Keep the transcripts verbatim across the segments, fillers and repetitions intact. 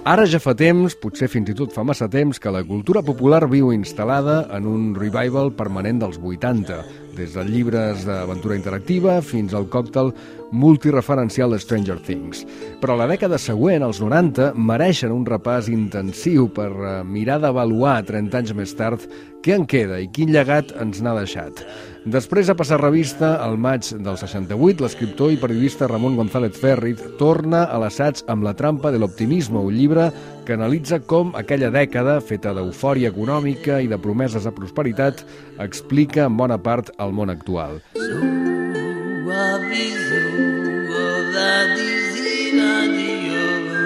Ara ja fa temps, potser fins i tot fa massa temps, que la cultura popular viu instal·lada en un revival permanent dels vuitanta, des de llibres d'aventura interactiva fins al còctel multireferencial de Stranger Things. Però la dècada següent, els noranta, mereixen un repàs intensiu per mirar d'avaluar trenta anys més tard què en queda i quin llegat ens n'ha deixat. Després de passar revista, al maig del seixanta-vuit, l'escriptor i periodista Ramon González Ferriz torna a l'assaig amb La trampa de l'optimisme, un llibre que analitza com aquella dècada, feta d'eufòria econòmica i de promeses de prosperitat, explica en bona part el món actual.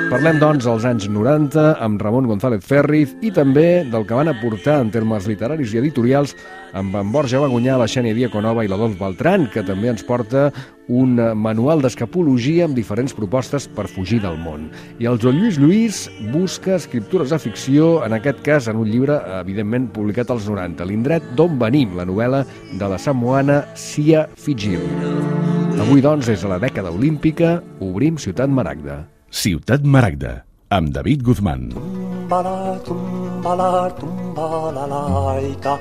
Parlem, doncs, dels anys noranta amb Ramon González Ferriz i també del que van aportar en termes literaris i editorials amb en Borja Bagunyà, la Xènia Diaconova i l'Adolf Beltrán, que també ens porta un manual d'escapologia amb diferents propostes per fugir del món. I el Joan Lluís Lluís busca escriptures de ficció, en aquest cas en un llibre, evidentment, publicat als noranta, L'indret d'on venim, la novel·la de la samoana Sia Fitzgerald. Avui, doncs, des de la dècada olímpica, obrim Ciutat Maragda. Ciutat Maragda, amb David Guzmán. Tumbala, tumbala, tumbala, laica.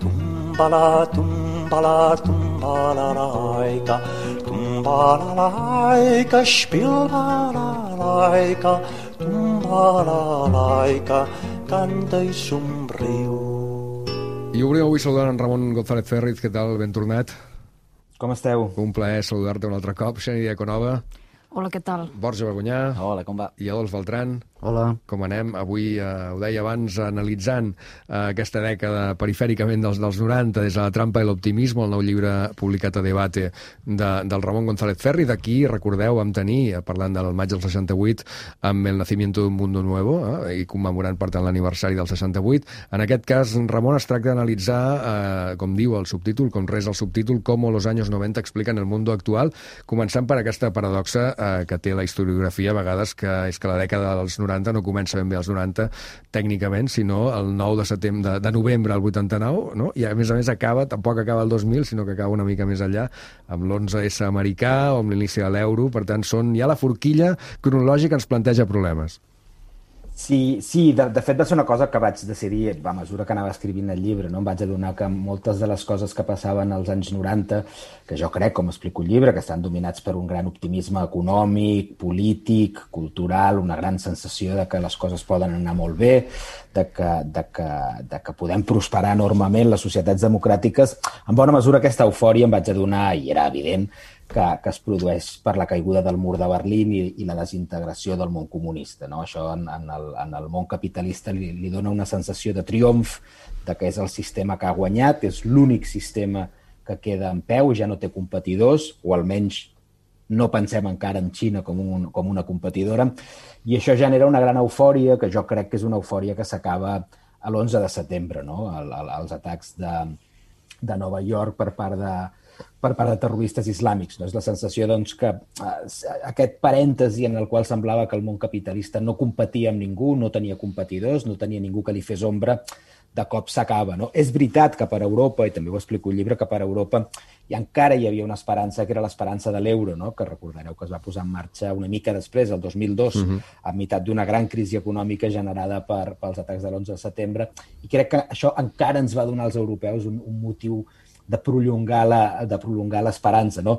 Tumbala, tumbala, tumbala, laica. Tumbala, laica, spilbala, laica. Tumbala, laica, canta i somriu. I obrim avui saludant en Ramon González Ferriz. Què tal? Ben tornat. Com esteu? Un plaer saludar-te un altre cop. Xènia Diaconova. Hola, què tal? Borja Bagunyà. Hola, com va? I Adolf Beltrán. Hola. Com anem? Avui, eh, ho deia abans, analitzant eh, aquesta dècada perifèricament dels, dels noranta, des de La trampa i l'optimisme, el nou llibre publicat a Debate de, del Ramon González Ferriz. D'aquí, recordeu, vam tenir, parlant del maig del seixanta-vuit, amb El nacimiento de un mundo nuevo, eh, i commemorant, per tant, l'aniversari del seixanta-vuit. En aquest cas, Ramon, es tracta d'analitzar, eh, com diu el subtítol, com res el subtítol, com los años noventa expliquen el mundo actual, començant per aquesta paradoxa eh, que té la historiografia a vegades, que és que la dècada dels noranta no comença ben bé als noranta tècnicament, sinó el nou de setembre, de, de novembre al vuitanta-nou, no? I a més a més acaba, tampoc acaba el dos mil, sinó que acaba una mica més enllà, amb l'onze esse americà o amb l'inici de l'euro. Per tant, són ja la forquilla cronològica ens planteja problemes. Sí, sí de, de fet va ser una cosa que vaig decidir a mesura que anava escrivint el llibre, no? Em vaig adonar que moltes de les coses que passaven als anys noranta, que jo crec, com explico el llibre, que estan dominats per un gran optimisme econòmic, polític, cultural, una gran sensació de que les coses poden anar molt bé, de que, de que, de que podem prosperar enormement les societats democràtiques. En bona mesura aquesta eufòria em vaig adonar, i era evident, que, que es produeix per la caiguda del mur de Berlín i, i la desintegració del món comunista, no? Això en, en, el, en el món capitalista li, li dona una sensació de triomf, de que és el sistema que ha guanyat, és l'únic sistema que queda en peu, ja no té competidors, o almenys no pensem encara en Xina com, un, com una competidora, i això genera una gran eufòria, que jo crec que és una eufòria que s'acaba a l'onze de setembre, no? El, el, els atacs de, de Nova York per part de per part de terroristes islàmics. No? És la sensació doncs, que eh, aquest parèntesi en el qual semblava que el món capitalista no competia amb ningú, no tenia competidors, no tenia ningú que li fes ombra, de cop s'acaba. No? És veritat que per Europa, i també ho explico al llibre, que per Europa i encara hi havia una esperança, que era l'esperança de l'euro, no? Que recordareu que es va posar en marxa una mica després, el dos mil dos, uh-huh. a meitat d'una gran crisi econòmica generada per, pels atacs de l'onze de setembre, i crec que això encara ens va donar als europeus un, un motiu de prolongar la, de prolongar l'esperança, no?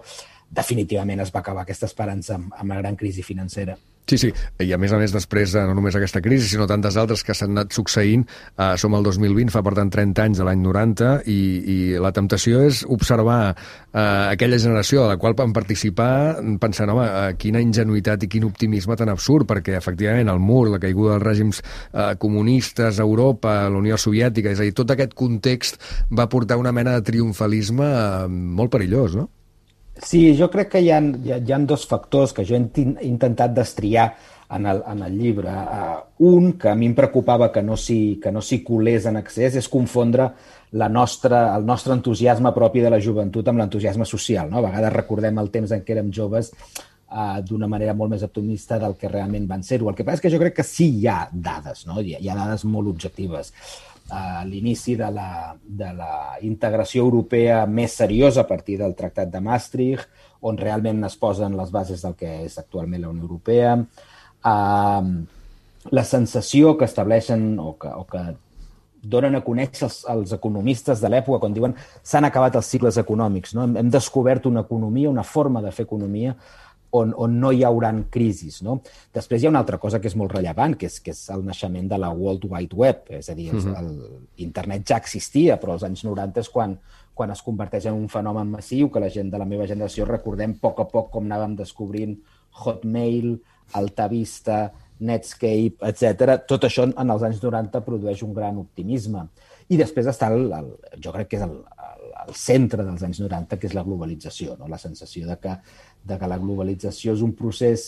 Definitivament es va acabar aquesta esperança amb, amb la gran crisi financera. Sí, sí, i a més a més després, no només aquesta crisi, sinó tantes altres que s'han anat succeint, eh, som al dos mil vint, fa per tant trenta anys de l'any noranta, i, i la temptació és observar eh, aquella generació a la qual van participar pensant, home, eh, quina ingenuïtat i quin optimisme tan absurd, perquè efectivament el mur, la caiguda dels règims eh, comunistes, Europa, la Unió Soviètica, és a dir, tot aquest context va portar una mena de triomfalisme eh, molt perillós, no? Sí, jo crec que hi ha, hi ha, hi ha dos factors que jo he intentat destriar en el, en el llibre. Uh, un, que a mi em preocupava que no s'hi que no s'hi colés en excés, és confondre la nostra, el nostre entusiasme propi de la joventut amb l'entusiasme social. No? A vegades recordem el temps en què érem joves uh, d'una manera molt més optimista del que realment van ser-ho. El que passa és que jo crec que sí hi ha dades, no? hi, ha, hi ha dades molt objectives. A l'inici de la, de la integració europea més seriosa a partir del Tractat de Maastricht, on realment es posen les bases del que és actualment la Unió Europea. Uh, la sensació que estableixen o que, o que donen a conèixer els, els economistes de l'època quan diuen s'han acabat els cicles econòmics, no? Hem, hem descobert una economia, una forma de fer economia on, on no hi hauran crisis, no? Després hi ha una altra cosa que és molt rellevant, que és, que és el naixement de la World Wide Web, és a dir, uh-huh. el, internet ja existia, però als anys noranta és quan, quan es converteix en un fenomen massiu que la gent de la meva generació recordem a poc a poc com anàvem descobrint Hotmail, Altavista, Netscape, etcètera. Tot això en els anys noranta produeix un gran optimisme. I després està, el, el, jo crec que és el, el, el centre dels anys noranta, que és la globalització, no? La sensació de que, de que la globalització és un procés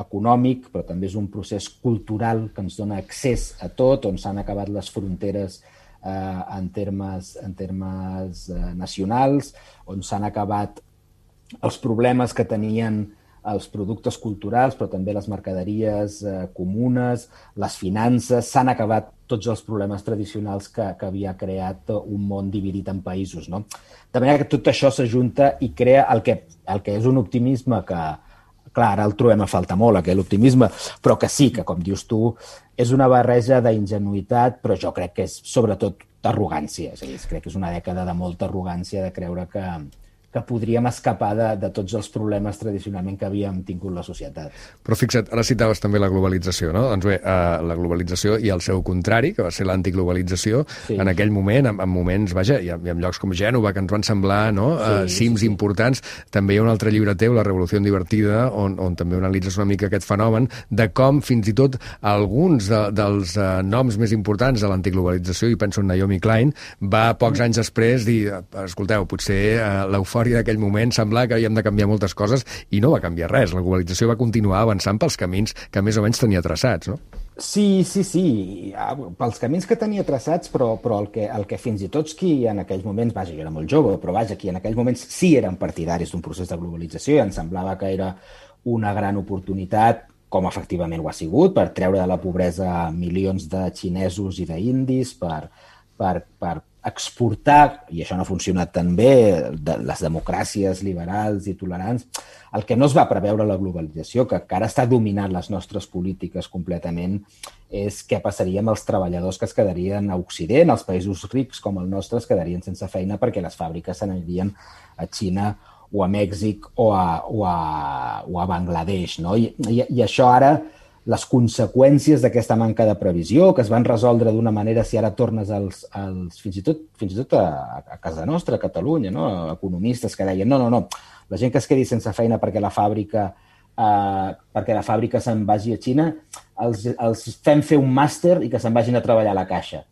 econòmic, però també és un procés cultural que ens dona accés a tot, on s'han acabat les fronteres eh, en termes, en termes eh, nacionals, on s'han acabat els problemes que tenien els productes culturals, però també les mercaderies eh, comunes, les finances, s'han acabat tots els problemes tradicionals que, que havia creat un món dividit en països, no? De manera que tot això s'ajunta i crea el que, el que és un optimisme que, clar, ara el trobem a faltar molt, aquell optimisme, però que sí, que com dius tu, és una barreja d'ingenuïtat, però jo crec que és sobretot d'arrogància. És a dir, crec que és una dècada de molta arrogància de creure que, que podríem escapar de, de tots els problemes tradicionalment que havíem tingut la societat. Però fixa't, ara citaves també la globalització, no? Doncs bé, uh, la globalització i el seu contrari, que va ser l'antiglobalització, sí. En aquell moment, en, en moments, vaja, i en, i en llocs com Gènova, que ens van semblar, no? Sí, uh, cims sí, sí. importants. També hi ha un altre llibre teu, La revolució divertida, on, on també analitzes una mica aquest fenomen de com fins i tot alguns de, dels uh, noms més importants de l'antiglobalització, i penso en Naomi Klein, va pocs anys després dir, escolteu, potser uh, l'eufòria d'aquell moment semblava que havíem de canviar moltes coses i no va canviar res. La globalització va continuar avançant pels camins que més o menys tenia traçats, no? Sí, sí, sí, pels camins que tenia traçats, però, però el, que, el que fins i tots qui en aquells moments, vaja, jo era molt jove, però vaja, qui en aquells moments sí eren partidaris d'un procés de globalització i ens semblava que era una gran oportunitat, com efectivament ho ha sigut, per treure de la pobresa milions de xinesos i d'indis, per, per, per exportar, i això no ha funcionat tan bé, de les democràcies liberals i tolerants, el que no es va preveure la globalització, que ara està dominant les nostres polítiques completament, és què passaria amb els treballadors que es quedarien a Occident, els països rics com el nostre es quedarien sense feina perquè les fàbriques s'anirien a Xina o a Mèxic o a, o a, o a Bangladesh, no? I, i, i això ara, les conseqüències d'aquesta manca de previsió, que es van resoldre d'una manera, si ara tornes als, als fins i tot, fins i tot a, a casa nostra, a Catalunya, no? Economistes que deien, no, no, no, la gent que es quedi sense feina perquè la fàbrica, eh, perquè la fàbrica se'n vagi a Xina, els, els fem fer un màster i que se'n vagin a treballar a la caixa.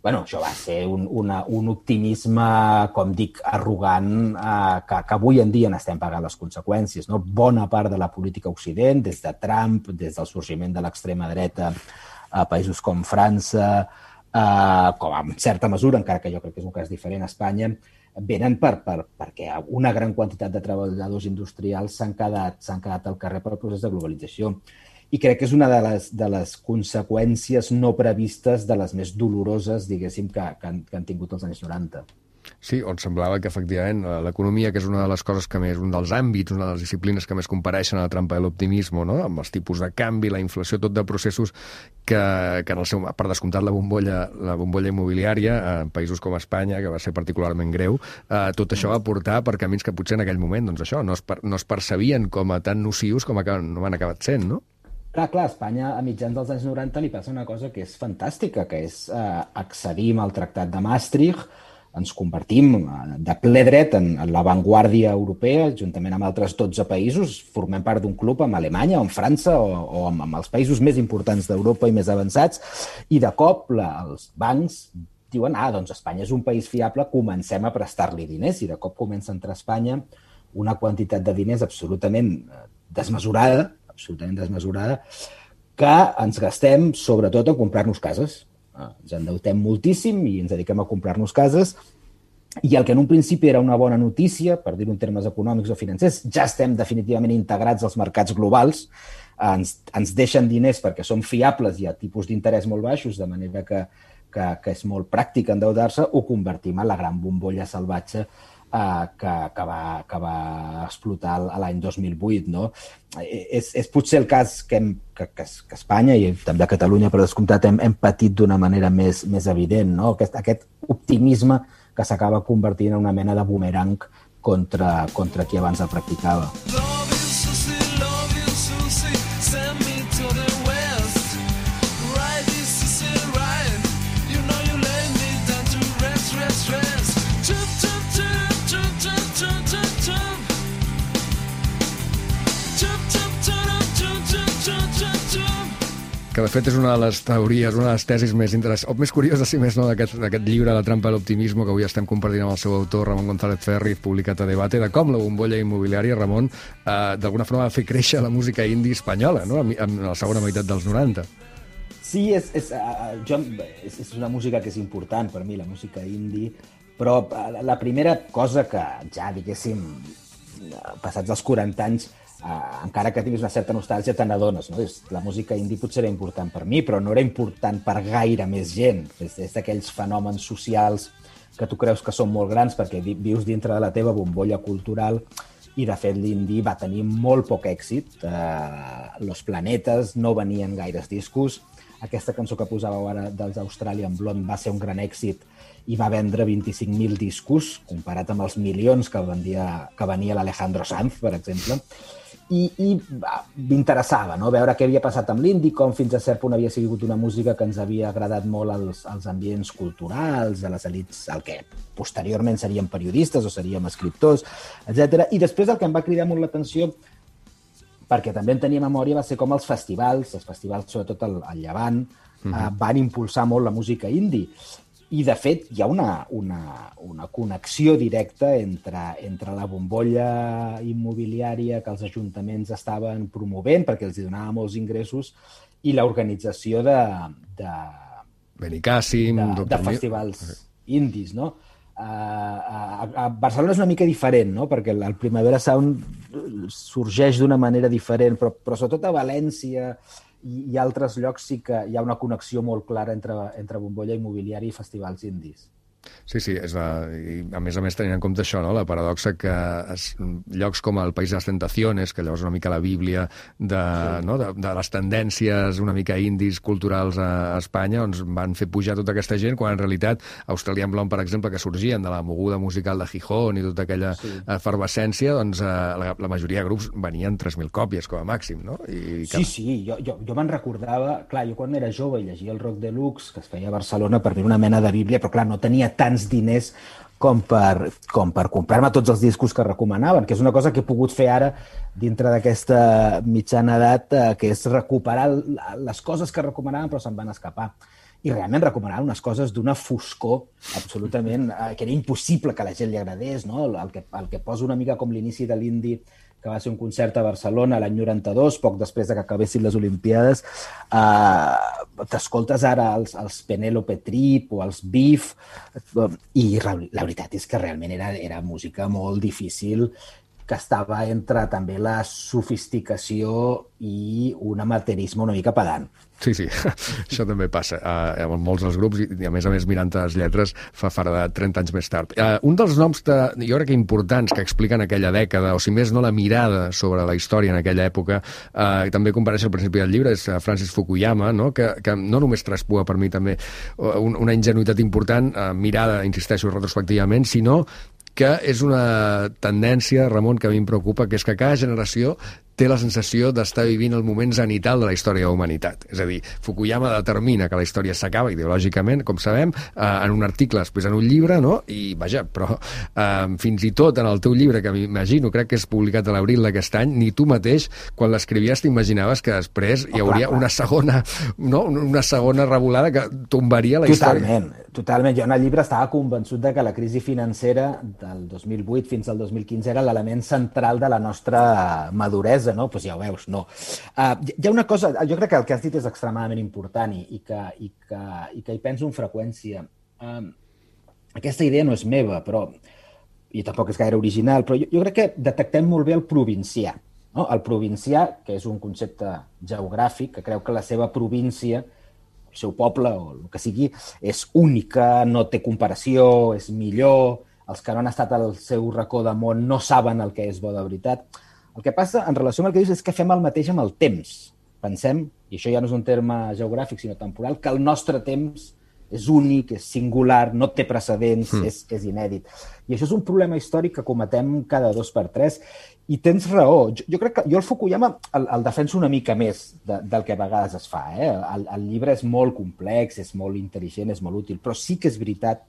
Bueno, això va ser un, una, un optimisme, com dic, arrogant, eh, que, que avui en dia n'estem pagant les conseqüències, no? Bona part de la política Occident, des de Trump, des del sorgiment de l'extrema dreta a països com França, eh, com en certa mesura, encara que jo crec que és un cas diferent a Espanya, venen per, per, perquè una gran quantitat de treballadors industrials s'han quedat, s'han quedat al carrer pel procés de globalització. I crec que és una de les, de les conseqüències no previstes de les més doloroses, diguéssim, que, que, han, que han tingut els anys noranta. Sí, on semblava que, efectivament, l'economia, que és una de les coses que més, un dels àmbits, una de les disciplines que més compareixen a la trampa de l'optimisme, no? Amb els tipus de canvi, la inflació, tot de processos que, que en el seu, per descomptat la bombolla, la bombolla immobiliària, en països com Espanya, que va ser particularment greu, eh, tot això va portar per camins que potser en aquell moment, doncs això, no es, per, no es percebien com a tan nocius com acaben, no han acabat sent, no? Clar, clar, a Espanya a mitjans dels anys noranta li passa una cosa que és fantàstica, que és eh, accedim al Tractat de Maastricht, ens convertim de ple dret en, en l'avantguàrdia europea, juntament amb altres dotze països, formem part d'un club amb Alemanya o amb França o, o amb, amb els països més importants d'Europa i més avançats, i de cop la, els bancs diuen, ah, doncs Espanya és un país fiable, comencem a prestar-li diners, i de cop comença a entrar a Espanya una quantitat de diners absolutament desmesurada, absolutament desmesurada, que ens gastem sobretot a comprar-nos cases. Ens endeutem moltíssim i ens dediquem a comprar-nos cases, i el que en un principi era una bona notícia, per dir-ho en termes econòmics o financers, ja estem definitivament integrats als mercats globals, ens, ens deixen diners perquè som fiables i a tipus d'interès molt baixos, de manera que, que, que és molt pràctic endeudar-se, ho convertim en la gran bombolla salvatge Uh, que, que, va, que va explotar l'any dos mil vuit. No? És, és potser el cas que, hem, que, que, que Espanya i també a Catalunya, per descomptat, hem, hem patit d'una manera més, més evident. No? Aquest, aquest optimisme que s'acaba convertint en una mena de bumerang contra, contra qui abans el practicava. Que de fet és una de les teories, una de les tesis més interessants, o més curioses, si més no, d'aquest llibre, La trampa de l'optimismo, que avui estem compartint amb el seu autor, Ramon González Ferri, publicat a Debate, de com la bombolla immobiliària, Ramon, eh, d'alguna forma va fer créixer la música indie espanyola, no?, en la segona meitat dels noranta. Sí, és, és, uh, jo, és, és una música que és important per mi, la música indie, però la primera cosa que ja, diguéssim, passats els quaranta anys, Uh, encara que tinguis una certa nostàlgia, te n'adones, no? La música indie potser era important per mi, però no era important per gaire més gent. És, és d'aquells fenòmens socials que tu creus que són molt grans perquè vi, vius dintre de la teva bombolla cultural, i de fet l'indie va tenir molt poc èxit. Uh, Los Planetes no venien gaires discos. Aquesta cançó que posàveu ara dels Australian Blonde va ser un gran èxit i va vendre vint-i-cinc mil discos, comparat amb els milions que venia, que venia l'Alejandro Sanz, per exemple. I, i m'interessava, no?, veure què havia passat amb l'indie, com fins a cert punt havia sigut una música que ens havia agradat molt als, als ambients culturals, a les elits, el que posteriorment seríem periodistes o seríem escriptors, etcètera. I després el que em va cridar molt l'atenció, perquè també en tenia memòria, va ser com els festivals, els festivals sobretot al, al Llevant, mm-hmm. eh, van impulsar molt la música indie. I, de fet, hi ha una, una, una connexió directa entre, entre la bombolla immobiliària que els ajuntaments estaven promovent, perquè els donava molts ingressos, i l'organització de, de, Benicàssim, de, de festivals indis, no? A, a, a Barcelona és una mica diferent, no? Perquè el Primavera Sound sorgeix d'una manera diferent, però, però sobretot a València i altres llocs sí que hi ha una connexió molt clara entre, entre bombolla immobiliària i festivals indis. Sí, sí, és la, i a més a més tenint en compte això, no?, la paradoxa que es, llocs com el País de les Tentaciones, que llavors és una mica la bíblia de, sí. no?, de, de les tendències una mica indis culturals a, a Espanya, doncs van fer pujar tota aquesta gent, quan en realitat Australian Blonde, per exemple, que sorgien de la moguda musical de Gijón i tota aquella sí. efervescència, doncs eh, la, la majoria de grups venien tres mil còpies com a màxim, no? I sí, sí, jo, jo, jo me'n recordava, clar, jo quan era jove i llegia el Rock Deluxe, que es feia a Barcelona, per mi una mena de bíblia, però clar, no tenia tants diners com per, com per comprar-me tots els discos que recomanaven, que és una cosa que he pogut fer ara dintre d'aquesta mitjana edat, eh, que és recuperar les coses que recomanaven però se'n van escapar. I realment recomanaven unes coses d'una foscor absolutament, eh, que era impossible que a la gent li agradés, no? El que, el que posa una mica com l'inici de l'indie, que va ser un concert a Barcelona l'any noranta-dos, poc després de que acabessin les Olimpiades. Uh, T'escoltes ara els, els Penélope Trip o els Beef, uh, i la, la veritat és que realment era, era música molt difícil, que estava entre també la sofisticació i un amateurisme una mica pedant. Sí, sí, això també passa uh, amb molts dels grups i, i a més a més mirant les lletres fa fara trenta anys més tard. Uh, un dels noms de, jo crec que importants que expliquen aquella dècada, o si més no la mirada sobre la història en aquella època, uh, també compareix al principi del llibre, és Francis Fukuyama, no? Que, que no només traspua per mi també una ingenuïtat important, uh, mirada, insisteixo, retrospectivament, sinó que és una tendència, Ramon, que a mi em preocupa, que és que cada generació té la sensació d'estar vivint el moment zenital de la història de la humanitat. És a dir, Fukuyama determina que la història s'acaba ideològicament, com sabem, eh, en un article, després en un llibre, no? I, vaja, però eh, fins i tot en el teu llibre, que m'imagino, crec que és publicat a l'abril d'aquest any, ni tu mateix, quan l'escrivies, t'imaginaves que després hi hauria una segona, no? Una segona revolada que tombaria la història. Totalment, totalment. Jo en el llibre estava convençut de que la crisi financera del dos mil vuit fins al dos mil quinze era l'element central de la nostra maduresa, no? Pues ja ho veus, no. Uh, hi ha una cosa, jo crec que el que has dit és extremadament important i, i, que, i, que, i que hi penso amb freqüència. Uh, aquesta idea no és meva, però i tampoc és gaire original, però jo, jo crec que detectem molt bé el provincià. No? El provincià, que és un concepte geogràfic, que creu que la seva província, el seu poble o el que sigui, és única, no té comparació, és millor, els que no han estat al seu racó de món no saben el que és bo de veritat. El que passa en relació amb el que dius és que fem el mateix amb el temps. Pensem, i això ja no és un terme geogràfic sinó temporal, que el nostre temps és únic, és singular, no té precedents, mm. és, és inèdit. I això és un problema històric que cometem cada dos per tres. I tens raó. Jo, jo crec que jo el Fukuyama el, el defenso una mica més de, del que a vegades es fa. Eh? El, el llibre és molt complex, és molt intel·ligent, és molt útil, però sí que és veritat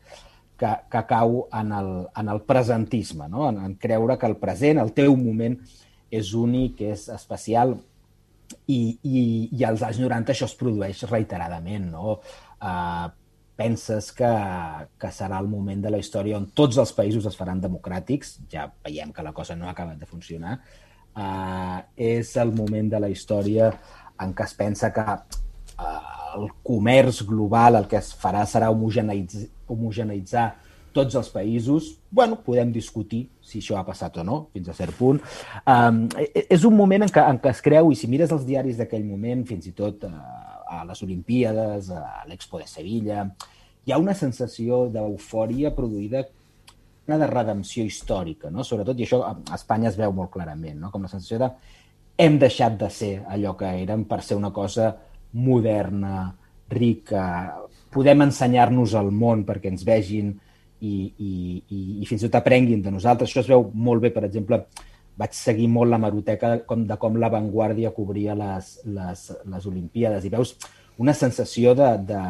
que, que cau en el, en el presentisme, no? en, en creure que el present, el teu moment, és únic, és especial, i, i, i als anys noranta això es produeix reiteradament, no? Uh, penses que, que serà el moment de la història on tots els països es faran democràtics, ja veiem que la cosa no ha acabat de funcionar, uh, és el moment de la història en què es pensa que uh, el comerç global el que es farà serà homogeneïtzar, homogeneïtzar tots els països. Bueno, podem discutir si això ha passat o no, fins a cert punt. Um, és un moment en què, en què es creu, i si mires els diaris d'aquell moment, fins i tot uh, a les Olimpíades, a l'Expo de Sevilla, hi ha una sensació d'eufòria produïda, una de redempció històrica, no? Sobretot, i això a Espanya es veu molt clarament, no? Com la sensació de hem deixat de ser allò que érem per ser una cosa moderna, rica, podem ensenyar-nos al món perquè ens vegin i, i, i, i fins i tot aprenguin de nosaltres. Això es veu molt bé, per exemple, vaig seguir molt la hemeroteca de com, de com La Vanguardia cobria les, les, les Olimpíades i veus una sensació de, de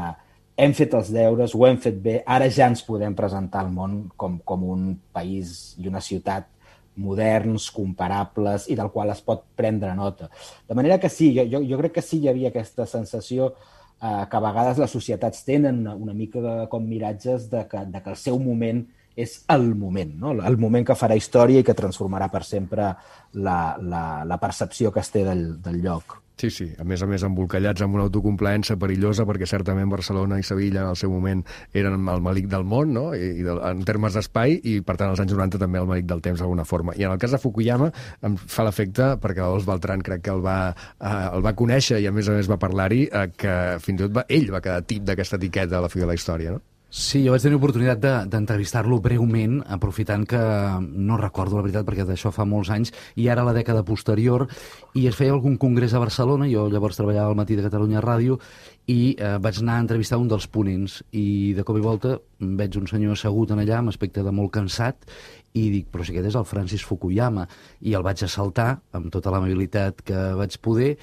hem fet els deures, ho hem fet bé, ara ja ens podem presentar al món com, com un país i una ciutat moderns, comparables i del qual es pot prendre nota. De manera que sí, jo, jo crec que sí hi havia aquesta sensació eh, que a vegades les societats tenen una, una mica de, com miratges de que, de que el seu moment és el moment, no? El moment que farà història i que transformarà per sempre la, la, la percepció que es té del, del lloc. Sí, sí, a més a més embolcallats amb una autocomplaença perillosa perquè certament Barcelona i Sevilla en el seu moment eren el malic del món, no? I, i de, en termes d'espai, i per tant als anys noranta també el malic del temps d'alguna forma. I en el cas de Fukuyama em fa l'efecte, perquè Dolors Beltrán crec que el va, eh, el va conèixer i a més a més va parlar-hi, eh, que fins i tot va, ell va quedar tip d'aquesta etiqueta a la fi de la història, no? Sí, jo vaig tenir oportunitat de, d'entrevistar-lo breument, aprofitant que no recordo la veritat perquè d'això fa molts anys, i ara la dècada posterior, i es feia algun congrés a Barcelona, jo llavors treballava al Matí de Catalunya Ràdio, i eh, vaig anar a entrevistar un dels ponents, i de cop i volta veig un senyor assegut en allà amb aspecte de molt cansat, i dic, però si aquest és el Francis Fukuyama, i el vaig assaltar amb tota l'amabilitat que vaig poder.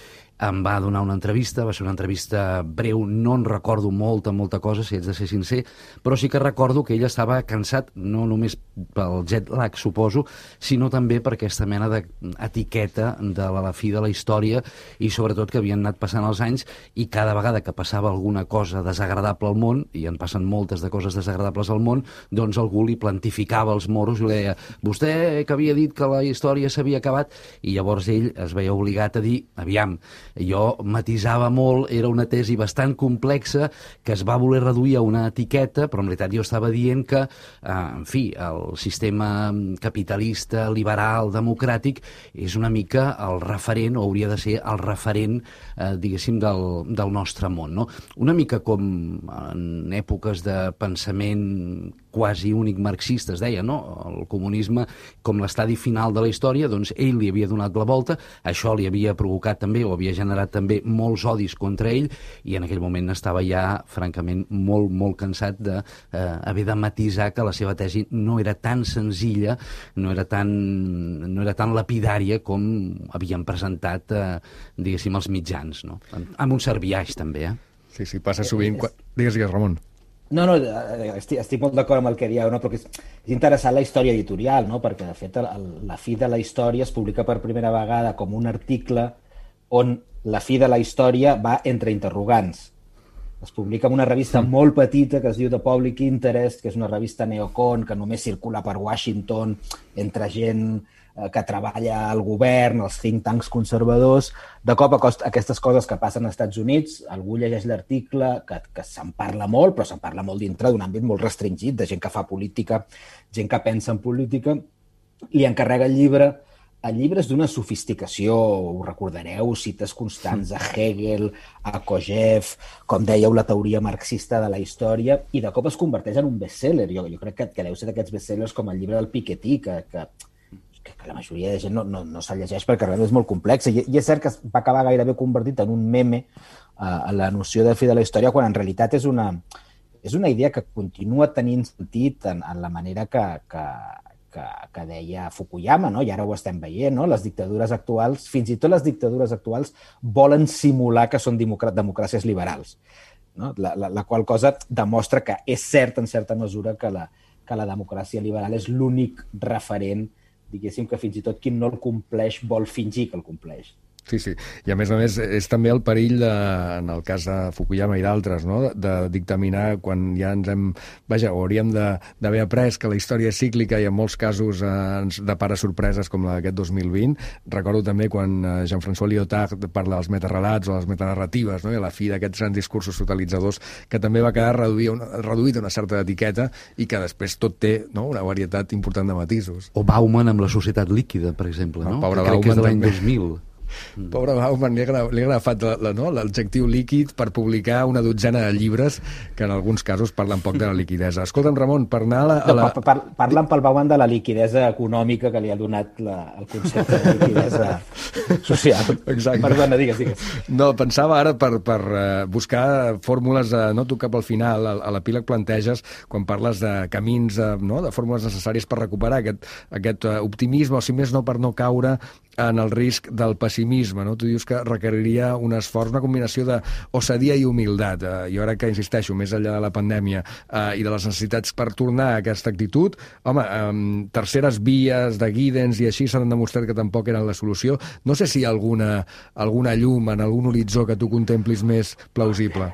Em va donar una entrevista, va ser una entrevista breu, no en recordo molta, molta cosa, si haig de ser sincer, però sí que recordo que ell estava cansat, no només pel jet lag, suposo, sinó també per aquesta mena d'etiqueta de la, la fi de la història, i sobretot que havien anat passant els anys, i cada vegada que passava alguna cosa desagradable al món, i en passen moltes de coses desagradables al món, doncs algú li plantificava els moros i li deia, vostè que havia dit que la història s'havia acabat, i llavors ell es veia obligat a dir, aviam, jo matisava molt, era una tesi bastant complexa que es va voler reduir a una etiqueta, però en realitat jo estava dient que, eh, en fi, el sistema capitalista, liberal, democràtic, és una mica el referent, o hauria de ser el referent, eh, diguéssim, del, del nostre món, no? Una mica com en èpoques de pensament quasi únic marxista, es deia, no? El comunisme com l'estadi final de la història, doncs ell li havia donat la volta, això li havia provocat també, o havia generat també molts odis contra ell, i en aquell moment estava ja, francament, molt, molt cansat d'haver de, eh, de matisar que la seva tesi no era tan senzilla, no era tan, no era tan lapidària com havien presentat, eh, diguéssim, els mitjans, no? Amb un cert biaix, també, eh? Sí, sí, passa sovint. Quan... Digues, digues, Ramon. No, no, estic, estic molt d'acord amb el que dieu, no? Perquè és, és interessant la història editorial, no? Perquè, de fet, el, la fi de la història es publica per primera vegada com un article on la fi de la història va entre interrogants. Es publica en una revista mm. molt petita que es diu The Public Interest, que és una revista neocon que només circula per Washington entre gent eh, que treballa al govern, els think tanks conservadors. De cop a cost, aquestes coses que passen als Estats Units, algú llegeix l'article, que, que se'n parla molt, però se'n parla molt dintre d'un àmbit molt restringit, de gent que fa política, gent que pensa en política, li encarrega el llibre el llibre és d'una sofisticació, ho recordareu, cites constants a Hegel, a Kojève, com dèieu, la teoria marxista de la història, i de cop es converteix en un best-seller. Jo, jo crec que, que deu ser d'aquests best-sellers com el llibre del Piketty, que, que, que, que la majoria de gent no, no, no se'l llegeix perquè realment és molt complex. I, I és cert que es va acabar gairebé convertit en un meme uh, a la noció de fi de la història, quan en realitat és una, és una idea que continua tenint sentit en, en la manera que... que Que, que deia Fukuyama, no? I ara ho estem veient, no? Les dictadures actuals, fins i tot les dictadures actuals, volen simular que són democràcies liberals, no? La, la, la qual cosa demostra que és cert, en certa mesura, que la, que la democràcia liberal és l'únic referent, diguéssim, que fins i tot qui no el compleix vol fingir que el compleix. Sí, sí. I a més a més és també el perill, de, en el cas de Fukuyama i d'altres, no? de, de dictaminar quan ja ens hem... Vaja, hauríem d'haver après que la història és cíclica i en molts casos eh, ens depara sorpreses com la d'aquest dos mil vint. Recordo també quan eh, Jean-François Lyotard parla dels metarrelats o les metanarratives, no? I a la fi d'aquests grans discursos totalitzadors, que també va quedar reduït, una, reduït a una certa etiqueta i que després tot té, no? Una varietat important de matisos. O Bauman amb la societat líquida, per exemple, no? El pobre que crec que és de l'any Bauman dos mil. Mm. Pobre Bauman, li ha, li ha agafat l'adjectiu líquid per publicar una dotzena de llibres que en alguns casos parlen poc de la liquidesa. Escolta'm, Ramon, per anar a la... A la... No, par parlen pel Bauman de la liquidesa econòmica que li ha donat la, el concepte de liquidesa social. Exacte. Perdona, digues, digues. No, pensava ara per, per uh, buscar fórmules, uh, no tu cap al final, a, a l'epíleg planteges, quan parles de camins, uh, no? de fórmules necessàries per recuperar aquest, aquest uh, optimisme, o si més no per no caure en el risc del pessimisme, no? Tu dius que requeriria un esforç, una combinació d'osadia i humilitat. Eh, jo ara que insisteixo, més enllà de la pandèmia eh, i de les necessitats per tornar a aquesta actitud, home, eh, terceres vies de Giddens i així s'han demostrat que tampoc eren la solució. No sé si hi ha alguna, alguna llum en algun horitzó que tu contemplis més plausible.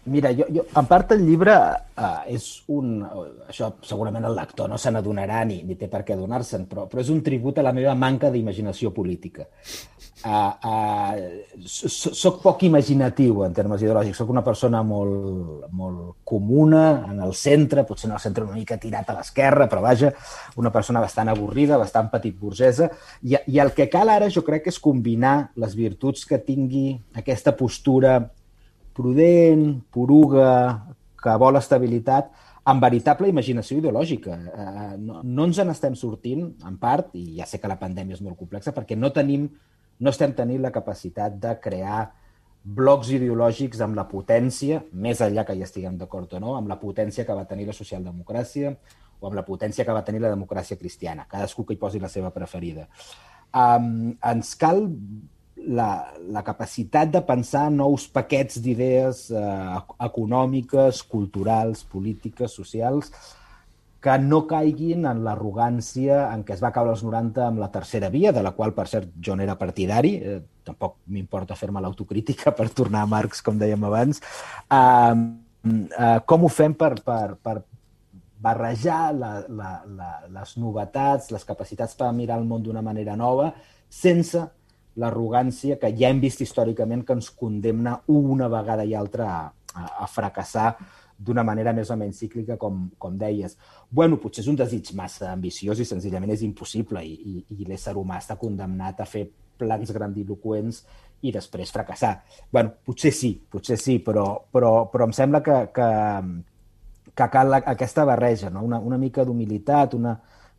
Mira, jo, jo, en part el llibre uh, és un... Això segurament el lector no se n'adonarà ni, ni té per què adonar-se'n, però, però és un tribut a la meva manca d'imaginació política. Uh, uh, soc poc imaginatiu en termes ideològics, soc una persona molt, molt comuna en el centre, potser en el centre una mica tirat a l'esquerra, però vaja, una persona bastant avorrida, bastant petit burgesa, i, i el que cal ara jo crec que és combinar les virtuts que tingui aquesta postura prudent, poruga, que vol estabilitat, amb veritable imaginació ideològica. Eh, no, no ens en estem sortint, en part, i ja sé que la pandèmia és molt complexa, perquè no tenim, no estem tenint la capacitat de crear blocs ideològics amb la potència, més enllà que hi estiguem d'acord o no, amb la potència que va tenir la socialdemocràcia o amb la potència que va tenir la democràcia cristiana. Cadascú que hi posi la seva preferida. Um, ens cal La, la capacitat de pensar nous paquets d'idees eh, econòmiques, culturals, polítiques, socials, que no caiguin en l'arrogància en què es va caure als noranta amb la tercera via, de la qual, per cert, jo n'era partidari. Eh, tampoc m'importa fer-me l'autocrítica per tornar a Marx, com dèiem abans. Eh, eh, com ho fem per, per, per barrejar la, la, la, les novetats, les capacitats per mirar el món d'una manera nova, sense l'arrogància que ja hem vist històricament que ens condemna una vegada i altra a, a, a fracassar d'una manera més o menys cíclica, com, com deies. Bueno, potser és un desig massa ambiciós i senzillament és impossible i, i, i l'ésser humà està condemnat a fer plans grandiloqüents i després fracassar. Bueno, potser sí, potser sí, però, però, però em sembla que, que, que cal aquesta barreja, no? una, una mica d'humilitat, una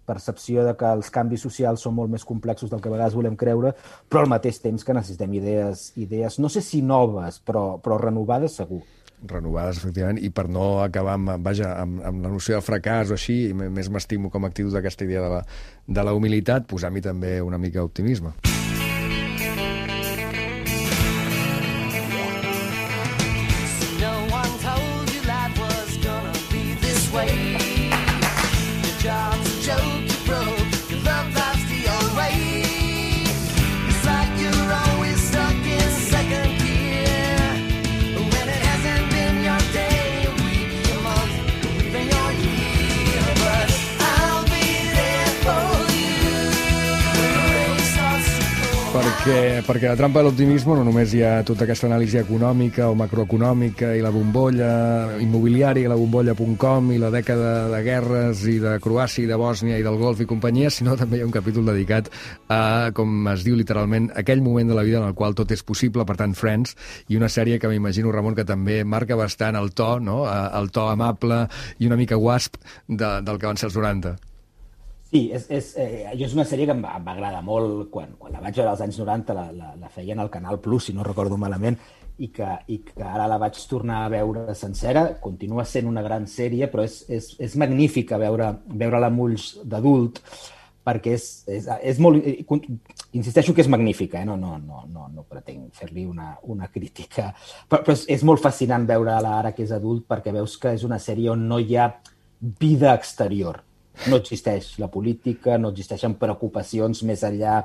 percepció de que els canvis socials són molt més complexos del que a vegades volem creure, però al mateix temps que necessitem idees, idees no sé si noves, però, però renovades segur. Renovades, efectivament, i per no acabar amb, vaja, amb, amb la noció de fracàs o així, més m'estimo com a actitud d'aquesta idea de la, de la humilitat, posar-m'hi també una mica d'optimisme. perquè, perquè la trampa de l'optimisme no només hi ha tota aquesta anàlisi econòmica o macroeconòmica i la bombolla immobiliària i la bombolla punt com i la dècada de guerres i de Croàcia i de Bòsnia i del Golf i companyia, sinó també hi ha un capítol dedicat a, com es diu literalment, aquell moment de la vida en el qual tot és possible, per tant, Friends, i una sèrie que m'imagino, Ramon, que també marca bastant el to, no? El to amable i una mica guasp de, del que van ser els noranta. Sí, és, és, eh, jo és una sèrie que em va, em va agradar molt. Quan, quan la vaig veure als anys noranta la, la, la feien al Canal Plus, si no recordo malament, i que, i que ara la vaig tornar a veure sencera. Continua sent una gran sèrie, però és, és, és magnífica veure, veure-la amb ulls d'adult, perquè és, és, és molt... Insisteixo que és magnífica, eh? no, no, no, no, no pretenc fer-li una, una crítica, però, però és, és molt fascinant veure-la ara que és adult, perquè veus que és una sèrie on no hi ha vida exterior. No existeix la política, no existeixen preocupacions més enllà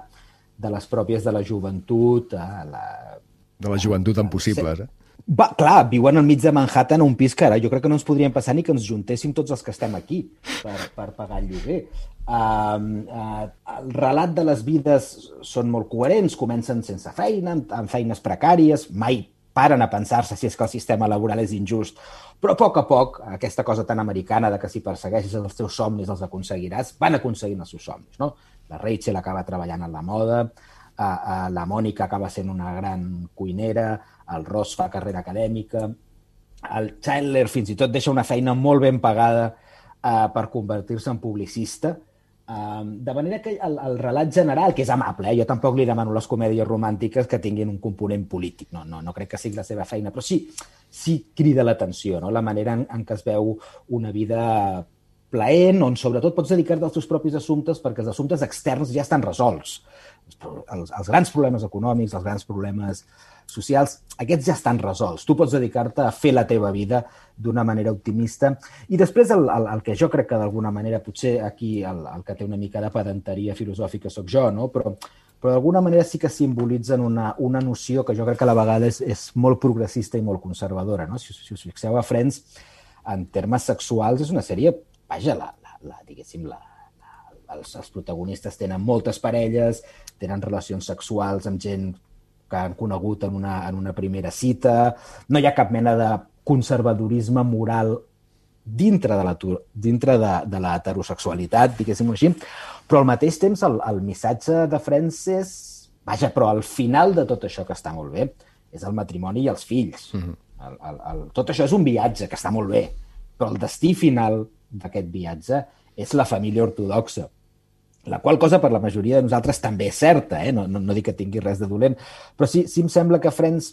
de les pròpies de la joventut. La... De la joventut impossibles, eh? Va, clar, viuen al mig de Manhattan a un pis que ara jo crec que no ens podríem passar ni que ens juntéssim tots els que estem aquí per, per pagar el lloguer. Uh, uh, el relat de les vides són molt coherents, comencen sense feina, amb feines precàries, mai paren a pensar-se si és que el sistema laboral és injust, però a poc a poc, aquesta cosa tan americana de que si persegueixes els teus somnis els aconseguiràs, van aconseguint els seus somnis, no? La Rachel acaba treballant en la moda, uh, uh, la Mònica acaba sent una gran cuinera, el Ross fa carrera acadèmica, el Chandler fins i tot deixa una feina molt ben pagada uh, per convertir-se en publicista. Um, de manera que el, el relat general, que és amable, eh? Jo tampoc li demano les comèdies romàntiques que tinguin un component polític, no, no, no crec que sigui la seva feina, però sí, sí crida l'atenció, no? La manera en, en què es veu una vida plaent, on sobretot pots dedicar-te als teus propis assumptes perquè els assumptes externs ja estan resolts. Els, els grans problemes econòmics, els grans problemes socials, aquests ja estan resolts. Tu pots dedicar-te a fer la teva vida d'una manera optimista. I després el, el, el que jo crec que d'alguna manera, potser aquí el, el que té una mica de pedanteria filosòfica sóc jo, no? però, però d'alguna manera sí que simbolitzen una, una noció que jo crec que a la vegada és, és molt progressista i molt conservadora. No? Si, si us fixeu a Friends, en termes sexuals és una sèrie, vaja, la, la, la, diguéssim, la, la, els, els protagonistes tenen moltes parelles, tenen relacions sexuals amb gent que han conegut en una, en una primera cita, no hi ha cap mena de conservadorisme moral dintre de la, dintre de, de la heterosexualitat, diguéssim així, però al mateix temps el, el missatge de Friends és, vaja, però al final de tot això que està molt bé, és el matrimoni i els fills. Mm-hmm. el, el, el, tot això és un viatge que està molt bé, però el destí final d'aquest viatge és la família ortodoxa, la qual cosa per la majoria de nosaltres també és certa, eh? no, no, no dic que tingui res de dolent, però sí, sí em sembla que Friends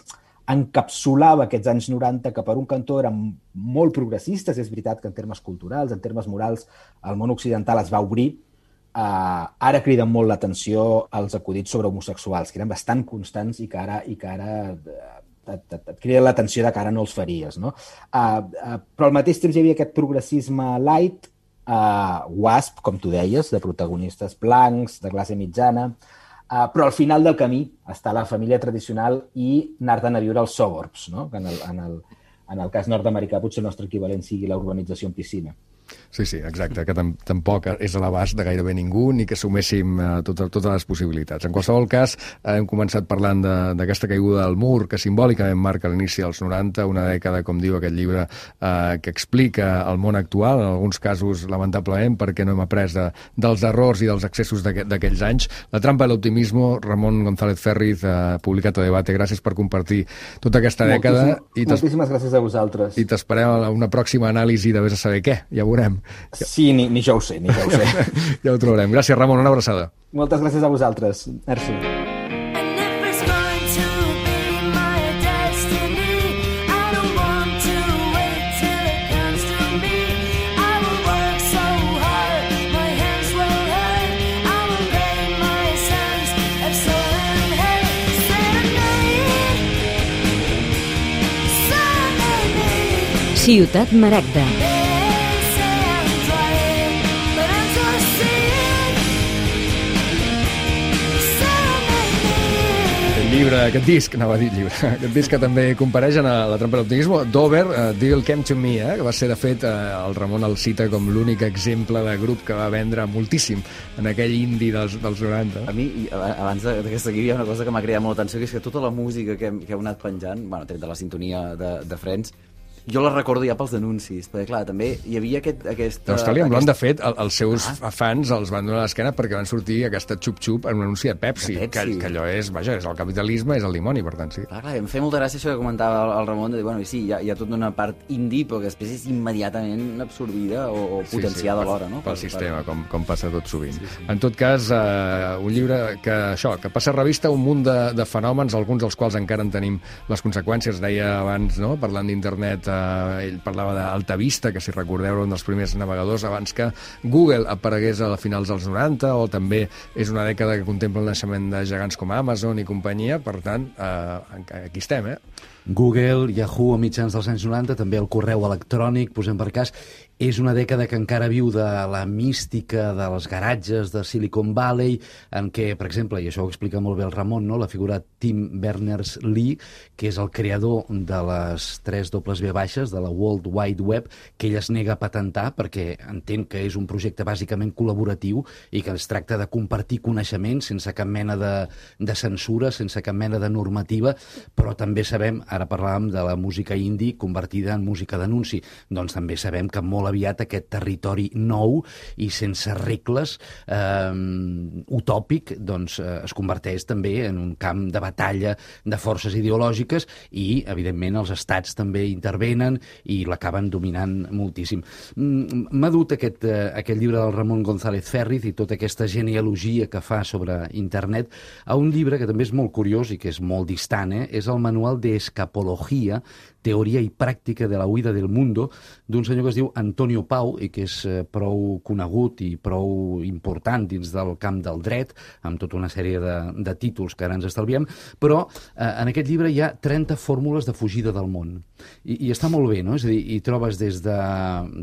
encapsulava aquests anys noranta que per un cantó eren molt progressistes, és veritat que en termes culturals, en termes morals, el món occidental es va obrir, uh, ara criden molt l'atenció als acudits sobre homosexuals, que eren bastant constants i que ara, i que ara uh, et, et, et crida l'atenció de que ara no els faries. No? Uh, uh, però al mateix temps hi havia aquest progressisme light, Uh, Wasp, com tu deies, de protagonistes blancs, de classe mitjana, uh, però al final del camí està la família tradicional i anar-te'n a viure als suburbs, no? En el, en el, en el cas nord-americà potser el nostre equivalent sigui la urbanització en piscina. Sí, sí, exacte, que tampoc és a l'abast de gairebé ningú ni que suméssim eh, totes, totes les possibilitats. En qualsevol cas, eh, hem començat parlant d'aquesta caiguda del mur que simbòlicament marca l'inici dels noranta, una dècada, com diu aquest llibre, eh, que explica el món actual, en alguns casos, lamentablement, perquè no hem après de, dels errors i dels excessos d'aquells anys. La trampa de l'optimismo, Ramon González Ferriz, eh, publicat a Debate. Gràcies per compartir tota aquesta dècada. Moltíssim, i moltíssimes gràcies a vosaltres. I t'esperem a una pròxima anàlisi de vés a saber què, ja veurem. Sí, ni, ni jo ho sé, ni jo ho sé. Ja ho trobarem. Gràcies, Ramon, una abraçada. Moltes gràcies a vosaltres. Merci. Ciutat Maragda. llibre, aquest disc, anava a dir llibre, aquest disc que també compareix en La trampa de l'optimisme, Dover, uh, Deal Came to Me, eh, que va ser, de fet, uh, el Ramon el cita com l'únic exemple de grup que va vendre moltíssim en aquell indie dels, dels noranta. A mi, abans d'aquesta aquí, hi ha una cosa que m'ha creat molta atenció, que és que tota la música que hem, que heu anat penjant, bueno, tret de la sintonia de, de Friends, jo la recordo ja pels anuncis, perquè clar, també hi havia aquest... aquest L'Austràlia aquest... Blonde, de fet, el, els seus ah. fans els van donar l'esquena perquè van sortir aquesta xup-xup en un anunci de Pepsi, de Pepsi. Que, que allò és, vaja, és el capitalisme, és el dimoni, per tant, sí. Clar, clar, em feia molta gràcia això que comentava el, el Ramon, de dir, bueno, sí, hi ha, hi ha tota una part indie, però que després és immediatament absorbida o, o potenciada sí, sí, alhora, no? Pel per, sistema, per... com, com passa tot sovint. Sí, sí. En tot cas, eh, un llibre que, això, que passa a revista un munt de, de fenòmens, alguns dels quals encara en tenim les conseqüències, deia abans, no?, parlant d'internet, eh, ell parlava d'Alta Vista, que si recordeu era un dels primers navegadors abans que Google aparegués a finals dels noranta, o també és una dècada que contempla el naixement de gegants com Amazon i companyia, per tant, eh, aquí estem, eh? Google, Yahoo a mitjans dels anys noranta, també el correu electrònic, posem per cas, és una dècada que encara viu de la mística dels garatges de Silicon Valley, en què, per exemple, i això ho explica molt bé el Ramon, no?, la figura Tim Berners-Lee, que és el creador de les tres dobles ve baixes, de la World Wide Web, que ell es nega a patentar perquè entén que és un projecte bàsicament col·laboratiu i que es tracta de compartir coneixements sense cap mena de, de censura, sense cap mena de normativa, però també sabem, ara parlàvem de la música indie convertida en música d'anunci, doncs també sabem que molt aviat aquest territori nou i sense regles eh, utòpic doncs, eh, es converteix també en un camp de batalla de forces ideològiques i, evidentment, els estats també intervenen i l'acaben dominant moltíssim. M'ha dut aquest, eh, aquest llibre del Ramon González Ferriz i tota aquesta genealogia que fa sobre internet a un llibre que també és molt curiós i que és molt distant, eh? És el Manual de Escapología, Teoria i Pràctica de la Huida del Mundo, d'un senyor que es diu Antonio Pau i que és eh, prou conegut i prou important dins del camp del dret, amb tota una sèrie de, de títols que ara ens estalviem, però eh, en aquest llibre hi ha trenta fórmules de fugida del món. I, i està molt bé, no? És a dir, hi trobes des, de,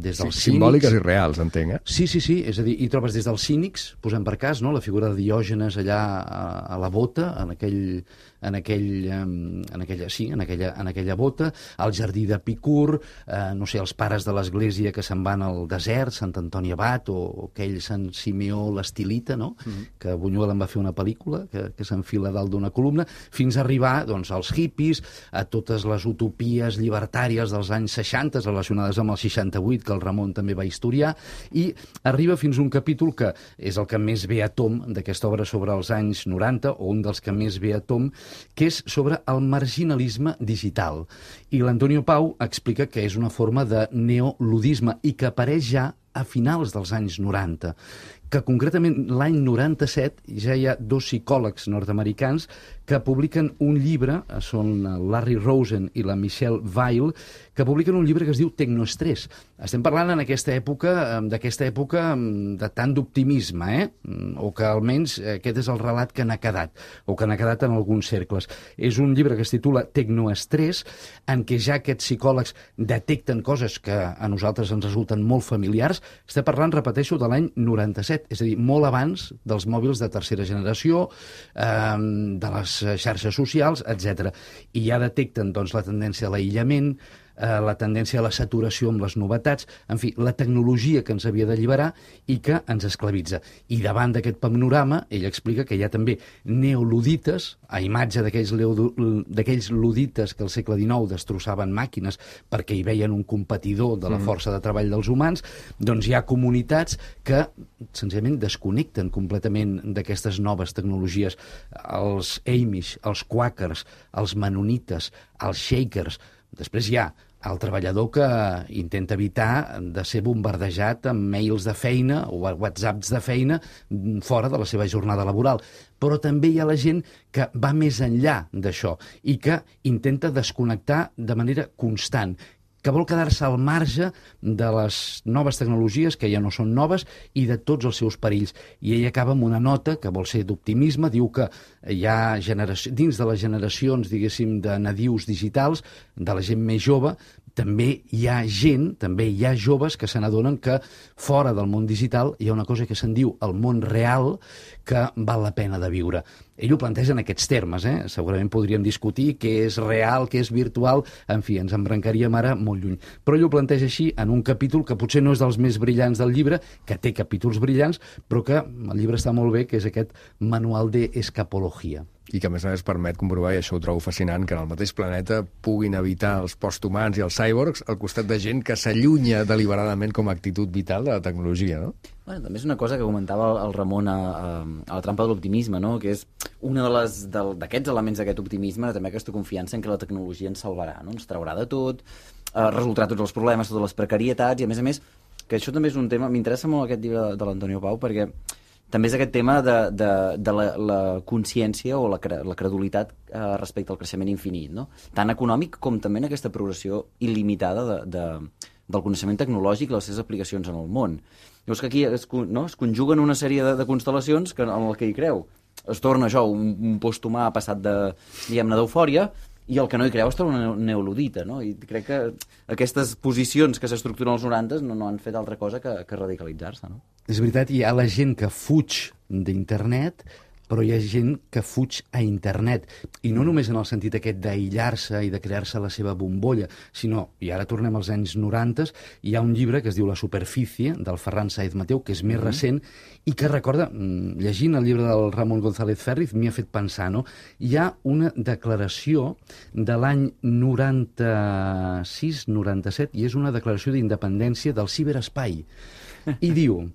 des dels sí, simbòliques i reals, entenc, eh? Sí, sí, sí, és a dir, hi trobes des dels cínics, posem per cas, no?, la figura de Diògenes allà a, a la bota, en aquell, en aquell, en aquella, sí, en aquella, en aquella bota, al jardí d'Epicur, eh, no sé, els pares de l'església que se'n van al desert, Sant Antoni Abat, o, o aquell Sant Simeó l'Estilita, no?, mm-hmm. que Buñuel en va fer una pel·lícula, que, que s'enfila dalt d'una columna, fins a arribar, doncs, als hippies, a totes les utopies llibertàries dels anys seixanta, relacionades amb el seixanta-vuit, que el Ramon també va historiar, i arriba fins a un capítol que és el que més ve a tom d'aquesta obra sobre els anys noranta, o un dels que més ve a tom, que és sobre el marginalisme digital. I l'Antonio Pau explica que és una forma de neoludisme i que apareix ja a finals dels anys noranta, que concretament l'any noranta-set ja hi ha dos psicòlegs nord-americans que publiquen un llibre, són Larry Rosen i la Michelle Weil, que publiquen un llibre que es diu Tecnoestrès. Estem parlant en aquesta època, d'aquesta època de tant d'optimisme, eh? O que almenys aquest és el relat que n'ha quedat, o que n'ha quedat en alguns cercles. És un llibre que es titula Tecnoestrès, en què ja aquests psicòlegs detecten coses que a nosaltres ens resulten molt familiars. Estem parlant, repeteixo, de l'any noranta-set, és a dir, molt abans dels mòbils de tercera generació, eh, de les xarxes socials, etcètera. I ja detecten doncs, la tendència a l'aïllament, eh, la tendència a la saturació amb les novetats, en fi, la tecnologia que ens havia d'alliberar i que ens esclavitza. I davant d'aquest panorama, ell explica que hi ha també neoludites, a imatge d'aquells ludites que al segle dinou destrossaven màquines perquè hi veien un competidor de la força de treball dels humans, doncs hi ha comunitats que senzillament desconnecten completament d'aquestes noves tecnologies. Els Amish, els Quakers, els Menonites, els Shakers. Després hi ha el treballador que intenta evitar de ser bombardejat amb mails de feina o whatsapps de feina fora de la seva jornada laboral. Però també hi ha la gent que va més enllà d'això i que intenta desconnectar de manera constant, que vol quedar-se al marge de les noves tecnologies, que ja no són noves, i de tots els seus perills. I ell acaba amb una nota que vol ser d'optimisme, diu que hi ha generació, dins de les generacions, diguéssim, de nadius digitals, de la gent més jove, també hi ha gent, també hi ha joves que se n'adonen que fora del món digital hi ha una cosa que se'n diu el món real que val la pena de viure. Ell ho planteja en aquests termes, eh? Segurament podríem discutir què és real, què és virtual, en fi, ens embrancaríem ara molt lluny. Però ell ho planteja així en un capítol que potser no és dels més brillants del llibre, que té capítols brillants, però que el llibre està molt bé, que és aquest manual d'escapologia. I que a més a més permet comprovar, i això ho trobo fascinant, que en el mateix planeta puguin habitar els posthumans i els cyborgs al costat de gent que s'allunya deliberadament com a actitud vital de la tecnologia, no? Bueno, també és una cosa que comentava el Ramon a, a, a la trampa de l'optimisme, no? Que és una de les d'aquests elements d'aquest optimisme, també aquesta confiança en que la tecnologia ens salvarà, no? Ens traurà de tot, eh, resoldrà tots els problemes, totes les precarietats, i a més a més, que això també és un tema, m'interessa molt aquest llibre de, de l'Antonio Pau, perquè també és aquest tema de, de, de la, la consciència o la, la credulitat eh, respecte al creixement infinit, no? Tant econòmic com també en aquesta progressió il·limitada de, de, del coneixement tecnològic i les seves aplicacions en el món. Llavors que aquí es, no, es conjuguen una sèrie de, de constel·lacions que, en el que hi creu. Es torna això, un, un posthumà passat de, diguem-ne, d'eufòria, i el que no hi creu és una neoludita, no? I crec que aquestes posicions que s'estructuren als noranta no, no han fet altra cosa que, que radicalitzar-se, no? És veritat, hi ha la gent que fuig d'internet, però hi ha gent que fuig a internet. I no només en el sentit aquest d'aïllar-se i de crear-se la seva bombolla, sinó, i ara tornem als anys noranta, hi ha un llibre que es diu La superfície, del Ferran Sáez Mateu, que és més mm-hmm. recent, i que recorda, llegint el llibre del Ramon González Ferriz, m'hi ha fet pensar, no? Hi ha una declaració de l'any noranta-sis noranta-set, i és una declaració d'independència del ciberespai. I diu,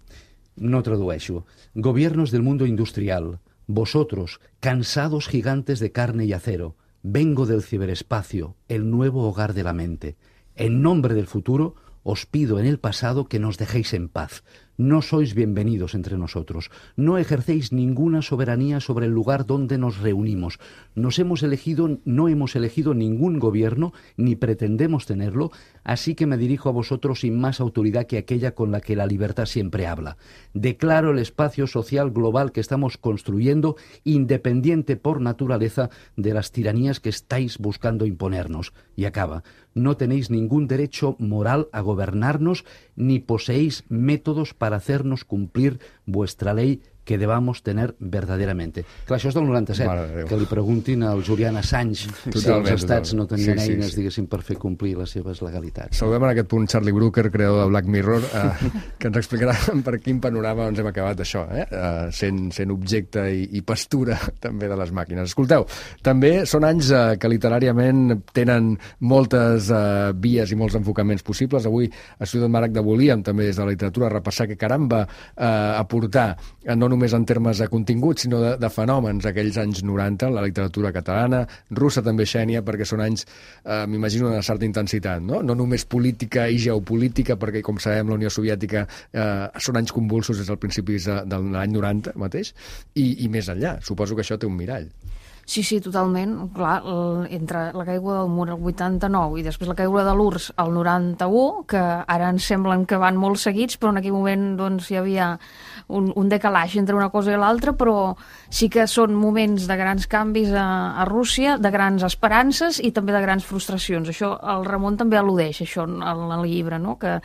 no tradueixo, gobiernos del mundo industrial, vosotros, cansados gigantes de carne y acero, vengo del ciberespacio, el nuevo hogar de la mente. En nombre del futuro, os pido en el pasado que nos dejéis en paz. No sois bienvenidos entre nosotros. No ejercéis ninguna soberanía sobre el lugar donde nos reunimos. Nos hemos elegido, no hemos elegido ningún gobierno, ni pretendemos tenerlo, así que me dirijo a vosotros sin más autoridad que aquella con la que la libertad siempre habla. Declaro el espacio social global que estamos construyendo independiente por naturaleza de las tiranías que estáis buscando imponernos. Y acaba. No tenéis ningún derecho moral a gobernarnos, ni poseéis métodos para hacernos cumplir vuestra ley que debamos tener verdaderamente. Clar, això és del noranta-set. Que li preguntin al Julian Assange totalment, si els estats totalment. no tenien sí, sí, eines, sí. diguéssim, per fer complir les seves legalitats. Saludem en aquest punt Charlie Brooker, creador de Black Mirror, eh, que ens explicarà per quin panorama ens hem acabat això, eh? eh sent, sent objecte i, i pastura també de les màquines. Escolteu, també són anys eh, que literàriament tenen moltes eh, vies i molts enfocaments possibles. Avui a Ciutat Maragda volíem també des de la literatura repassar que caram va eh, aportar eh, no només en termes de contingut, sinó de, de fenòmens aquells anys noranta, la literatura catalana, russa també, Xènia, perquè són anys, eh, m'imagino, d'una certa intensitat, no? No només política i geopolítica, perquè, com sabem, la Unió Soviètica eh, són anys convulsos des del principis de, de l'any noranta mateix, i, i més enllà. Suposo que això té un mirall. Sí, sí, totalment. Clar, entre la caiguda del mur al vuitanta-nou i després la caiguda de l'U R S S al noranta-u, que ara ens semblen que van molt seguits, però en aquell moment doncs, hi havia un, un decalaix entre una cosa i l'altra, però sí que són moments de grans canvis a, a Rússia, de grans esperances i també de grans frustracions. Això el Ramon també al·ludeix, això en el llibre, no? Que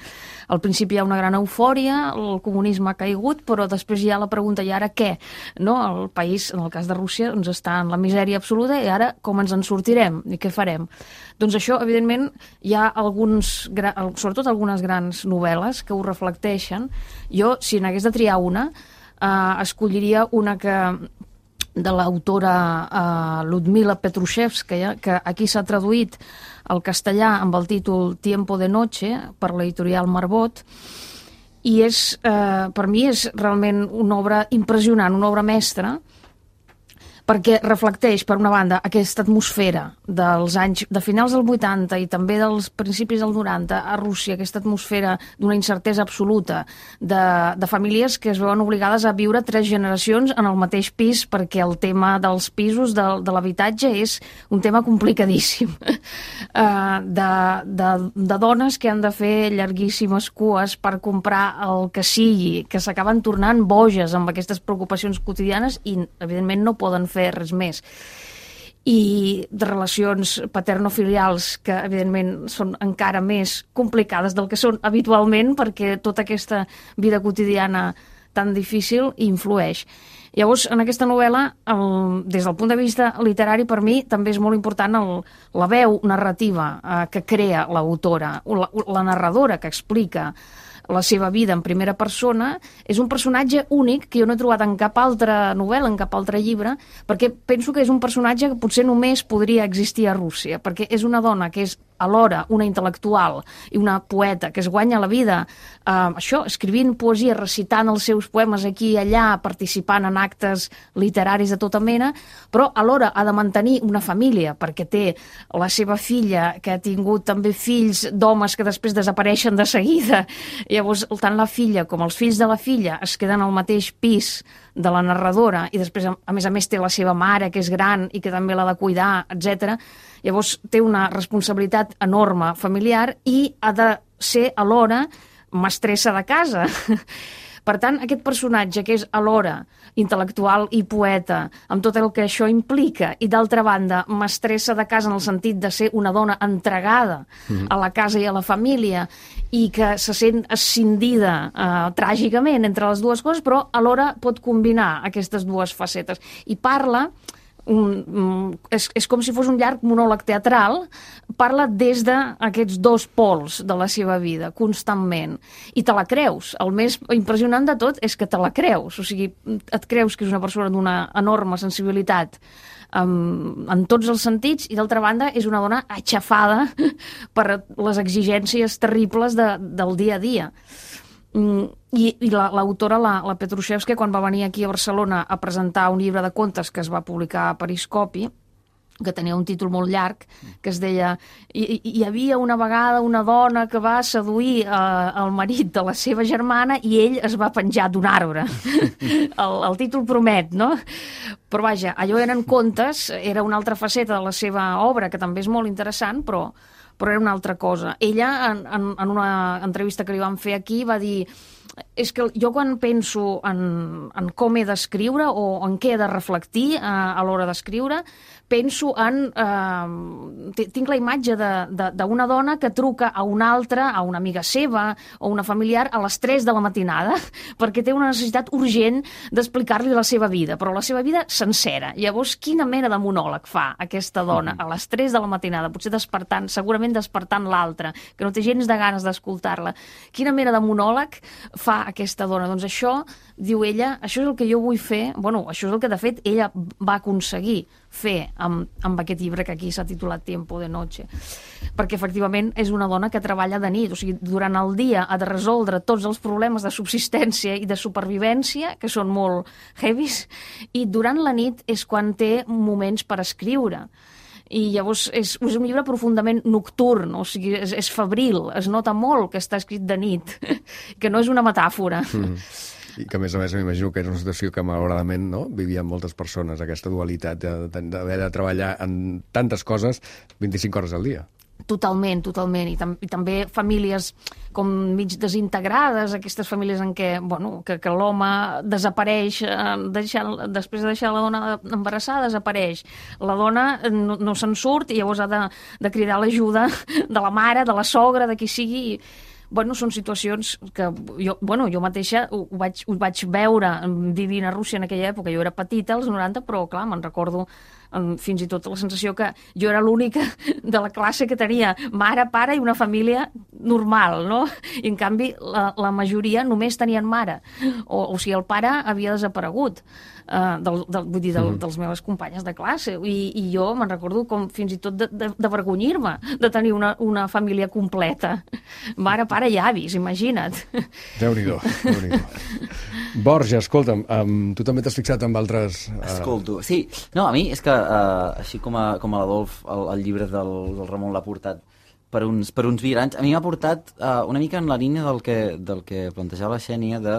al principi hi ha una gran eufòria, el comunisme ha caigut, però després hi ha la pregunta, i ara què? No? El país, en el cas de Rússia, doncs està en la misèria absoluta, i ara com ens en sortirem i què farem? Doncs això, evidentment, hi ha alguns, sobretot algunes grans novel·les que ho reflecteixen. Jo, si n'hagués de triar una, eh, escolliria una que de l'autora eh, Ludmila Petrushevskaya, que aquí s'ha traduït al castellà amb el títol Tiempo de noche per l'editorial Marbot, i és, eh, per mi és realment una obra impressionant, una obra mestra, perquè reflecteix, per una banda, aquesta atmosfera dels anys, de finals del vuitanta i també dels principis del noranta a Rússia, aquesta atmosfera d'una incertesa absoluta, de, de famílies que es veuen obligades a viure tres generacions en el mateix pis, perquè el tema dels pisos, de, de l'habitatge, és un tema complicadíssim. Uh, de, de, de dones que han de fer llarguíssimes cues per comprar el que sigui, que s'acaben tornant boges amb aquestes preocupacions quotidianes i, evidentment, no poden fer res més. i de relacions paternofilials que, evidentment, són encara més complicades del que són habitualment, perquè tota aquesta vida quotidiana tan difícil influeix. Llavors, en aquesta novel·la, el, des del punt de vista literari, per mi també és molt important el, la veu narrativa eh, que crea l'autora, la, la narradora que explica la seva vida en primera persona. És un personatge únic que jo no he trobat en cap altra novel·la, en cap altre llibre, perquè penso que és un personatge que potser només podria existir a Rússia, perquè és una dona que és alhora una intel·lectual i una poeta que es guanya la vida eh, això, escrivint poesia, recitant els seus poemes aquí i allà, participant en actes literaris de tota mena, però alhora ha de mantenir una família, perquè té la seva filla, que ha tingut també fills d'homes que després desapareixen de seguida. Llavors, tant la filla com els fills de la filla es queden al mateix pis de la narradora i després, a més a més, té la seva mare, que és gran i que també l'ha de cuidar, etcètera. Llavors, té una responsabilitat enorme familiar i ha de ser alhora mestressa de casa. Per tant, aquest personatge que és alhora intel·lectual i poeta, amb tot el que això implica, i d'altra banda, mestressa de casa en el sentit de ser una dona entregada mm-hmm. a la casa i a la família i que se sent escindida eh, tràgicament entre les dues coses, però alhora pot combinar aquestes dues facetes. I parla... Un, és, és com si fos un llarg monòleg teatral, parla des d'aquests dos pols de la seva vida, constantment. I te la creus. El més impressionant de tot és que te la creus. O sigui, et creus que és una persona d'una enorme sensibilitat um, en tots els sentits, i d'altra banda és una dona aixafada per les exigències terribles de, del dia a dia. I, i l'autora, la, la Petrushevska, quan va venir aquí a Barcelona a presentar un llibre de contes que es va publicar a Periscopi, que tenia un títol molt llarg, que es deia hi, hi havia una vegada una dona que va seduir eh, el marit de la seva germana i ell es va penjar d'un arbre. el, el títol promet, no? Però vaja, allò eren contes, era una altra faceta de la seva obra, que també és molt interessant, però però era una altra cosa. Ella, en, en, en una entrevista que li van fer aquí, va dir és que jo quan penso en, en com he d'escriure o en què he de reflectir eh, a l'hora d'escriure, penso en... Eh, tinc la imatge d'una dona que truca a una altra, a una amiga seva o una familiar a les tres de la matinada perquè té una necessitat urgent d'explicar-li la seva vida, però la seva vida sencera. Llavors, quina mena de monòleg fa aquesta dona a les tres de la matinada, potser despertant, segurament despertant l'altra, que no té gens de ganes d'escoltar-la. Quina mena de monòleg fa aquesta dona? Doncs això, diu ella, això és el que jo vull fer, bueno, això és el que de fet ella va aconseguir fer amb, amb aquest llibre que aquí s'ha titulat Tiempo de Noche, perquè efectivament és una dona que treballa de nit, o sigui, durant el dia ha de resoldre tots els problemes de subsistència i de supervivència, que són molt heavies, i durant la nit és quan té moments per escriure. I llavors és, és un llibre profundament nocturn, o sigui, és, és febril, es nota molt que està escrit de nit, que no és una metàfora. Mm. I que, a més a més, m'imagino que era una situació que, malauradament, no? vivien moltes persones, aquesta dualitat d'haver de treballar en tantes coses vint-i-cinc hores al dia. Totalment, totalment. I, tam I també famílies com mig desintegrades, aquestes famílies en què, bueno, que, que l'home desapareix, eh, deixant, després de deixar la dona embarassada, desapareix. La dona no, no se'n surt i llavors ha de, de cridar l'ajuda de la mare, de la sogra, de qui sigui. Bueno, són situacions que jo, bueno, jo mateixa ho, ho, vaig, ho vaig veure vivint a Rússia en aquella època. Jo era petita, als noranta, però clar, me'n recordo fins i tot la sensació que jo era l'única de la classe que tenia mare, pare i una família normal, no? I en canvi la, la majoria només tenien mare, o, o sigui, el pare havia desaparegut, uh, del, del, vull dir, del, dels meves companyes de classe, i, i jo me'n recordo com fins i tot d'avergonyir-me de, de, de tenir una, una família completa, mare, pare i avis, imagina't. Déu-n'hi-do, Déu-n'hi-do. Borja, escolta'm, um, tu també t'has fixat amb altres... Uh... Escolto, sí. No, a mi és que, uh, així com a, com a l'Adolf, el, el llibre del, del Ramon l'ha portat per uns, per uns virans, a mi m'ha portat uh, una mica en la línia del que, del que plantejava la Xènia, de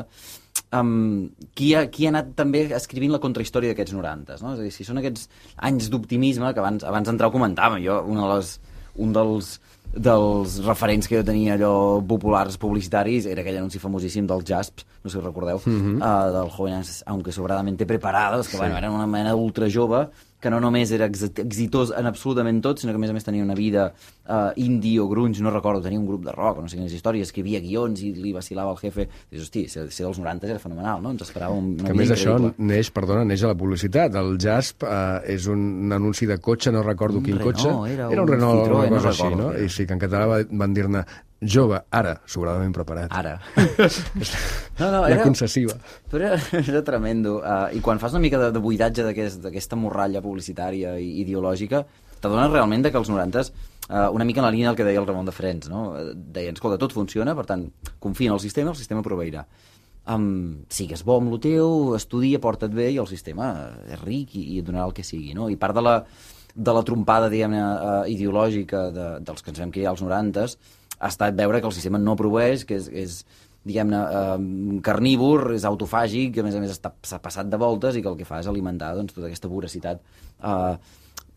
um, qui, ha, qui ha anat també escrivint la contrahistòria d'aquests norantes, no? És a dir, si són aquests anys d'optimisme, que abans, abans d'entrar ho comentàvem, jo, una de les, un dels... dels referents que jo tenia allò populars publicitaris era aquell anunci famosíssim del Jasps, no sé si recordeu, mm-hmm. uh, del Jóvenes aunque sobradamente preparados, que sí. Bueno, era una mena d'ultra jove que no només era exitós en absolutament tot, sinó que a més a més tenia una vida uh, indie o grunge, no recordo, tenia un grup de rock, no sé quines històries, escrivia guions i li vacilava el jefe. Dius, hosti, ser, ser dels noranta era fenomenal, no? Ens esperava una que vida més increïble. això neix, perdona, neix a la publicitat. El Jasp uh, és un anunci de cotxe, no recordo Un quin Renault, cotxe. era Era un un Renault, Citroën, una no cosa així, recordo, no? era. I sí, que en català van dir-ne jove, ara, sobradament preparat. Ara. no, no, La era... concessiva. Però era, era tremendo. Uh, I quan fas una mica de, de buidatge d'aquesta aquest, morralla publicitària i ideològica, t'adones realment de que els norantes, uh, una mica en la línia del que deia el Ramon de Frens, no? Deien, escolta, tot funciona, per tant, confia en el sistema, el sistema proveirà. Um, sigues bo amb el teu, estudia, porta't bé, i el sistema és ric i, i et donarà el que sigui, no? I part de la, de la trompada, diguem-ne, uh, ideològica de, dels que ens vam criar als norantes ha estat veure que el sistema no proveeix, que és, és diguem-ne, eh, carnívor, és autofàgic, que a més a més està, s'ha passat de voltes i que el que fa és alimentar doncs, tota aquesta voracitat, eh,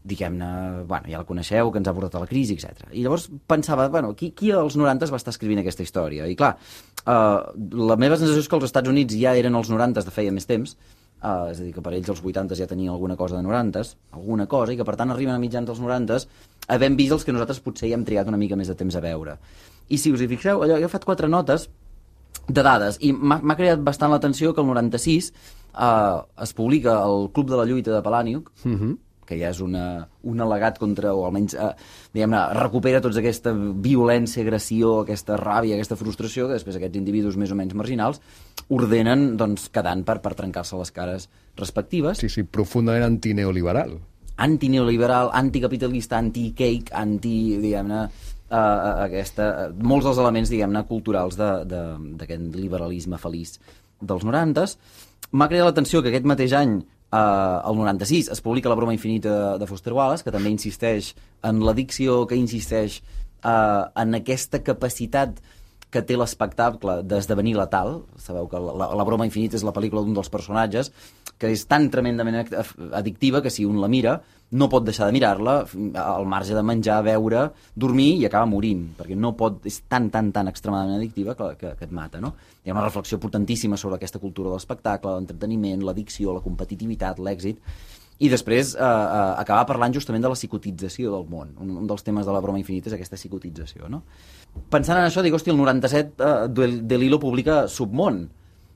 diguem-ne, bueno, ja la coneixeu, que ens ha portat a la crisi, etcètera. I llavors pensava, bueno, qui, qui als norantes va estar escrivint aquesta història? I clar, eh, la meva sensació és que els Estats Units ja eren els norantes de feia més temps, Uh, és a dir, que per ells els vuitantes ja tenien alguna cosa de norantes, alguna cosa, i que per tant arriben a mitjans dels norantes havent vist els que nosaltres potser ja hem trigat una mica més de temps a veure. I si us hi fixeu, allò, jo he fet quatre notes de dades, i m'ha creat bastant l'atenció que el noranta-sis uh, es publica el Club de la Lluita de Palàniuk, Mhm. que ja és una, un al·legat contra, o almenys, eh, diguem-ne, recupera tota aquesta violència, agressió, aquesta ràbia, aquesta frustració, que després aquests individus més o menys marginals ordenen, doncs, quedant per, per trencar-se les cares respectives. Sí, sí, profundament antineoliberal. Antineoliberal, anticapitalista, anti-cake, anti, diguem-ne, eh, aquesta, molts dels elements, diguem-ne, culturals de- de- d'aquest liberalisme feliç dels norantes. M'ha creat l'atenció que aquest mateix any, Uh, el noranta-sis, es publica La broma infinita de Foster Wallace, que també insisteix en l'addicció, que insisteix uh, en aquesta capacitat que té l'espectacle d'esdevenir letal. Sabeu que la, la broma infinita és la pel·lícula d'un dels personatges, que és tan tremendament addictiva que si un la mira no pot deixar de mirar-la al marge de menjar, beure, dormir i acaba morint, perquè no pot, és tan, tan, tan extremadament addictiva que, que, que et mata, no? Hi ha una reflexió potentíssima sobre aquesta cultura de l'espectacle, l'entreteniment, l'addicció, la competitivitat, l'èxit, i després eh, eh, acabar parlant justament de la psicotització del món. Un, un dels temes de La broma infinita és aquesta psicotització, no? Pensant en això, dic, hosti, el noranta-set eh, De Lillo publica Submón,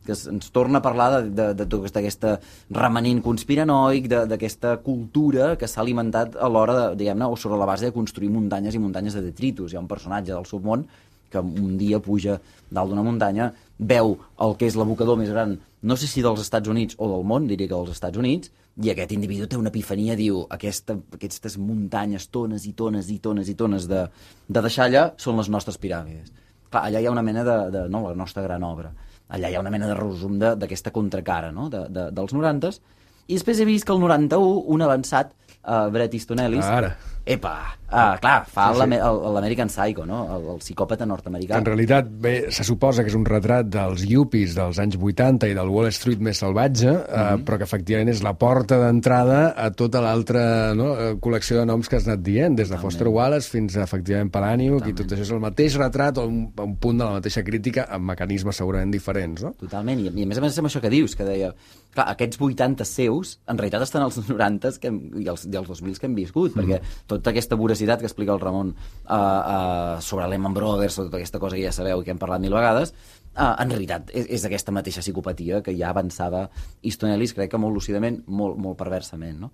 que ens torna a parlar de, de, de tota aquesta remanent conspiranoic, d'aquesta cultura que s'ha alimentat a l'hora, de, diguem-ne, o sobre la base de construir muntanyes i muntanyes de detritus. Hi ha un personatge del Submón que un dia puja dalt d'una muntanya, veu el que és l'abocador més gran, no sé si dels Estats Units o del món, diria que dels Estats Units, i aquest individu té una epifania, diu, aquesta, aquestes muntanyes, tones i tones i tones i tones de, de deixalla són les nostres piràmides. Clar, allà hi ha una mena de, de no, la nostra gran obra. Allà hi ha una mena de resum d'aquesta contracara, no?, de, de, dels norantes. I després he vist que el noranta-u, un avançat, uh, Bret Easton Ellis... Ara. Epa! Ah, clar, fa Sí, sí. l'American Psycho, no?, el, el psicòpata nord-americà. En realitat, bé, se suposa que és un retrat dels yuppies dels anys vuitanta i del Wall Street més salvatge, mm -hmm. eh, però que efectivament és la porta d'entrada a tota l'altra, no, col·lecció de noms que has anat dient, des de Foster Wallace fins a, efectivament, Palàniuk, i tot això és el mateix retrat o un, un punt de la mateixa crítica amb mecanismes segurament diferents, no? Totalment, i, i a més a més amb això que dius, que deia, clar, aquests vuitanta seus, en realitat estan als norantes que hem, i, els, i els dos mil que hem viscut, mm. perquè tota aquesta voracitat que explica el Ramon uh, uh, sobre Lehman Brothers, sobre tota aquesta cosa que ja sabeu i que hem parlat mil vegades, uh, en realitat és, és aquesta mateixa psicopatia que ja avançava Easton Ellis, crec que molt lúcidament, molt, molt perversament, no?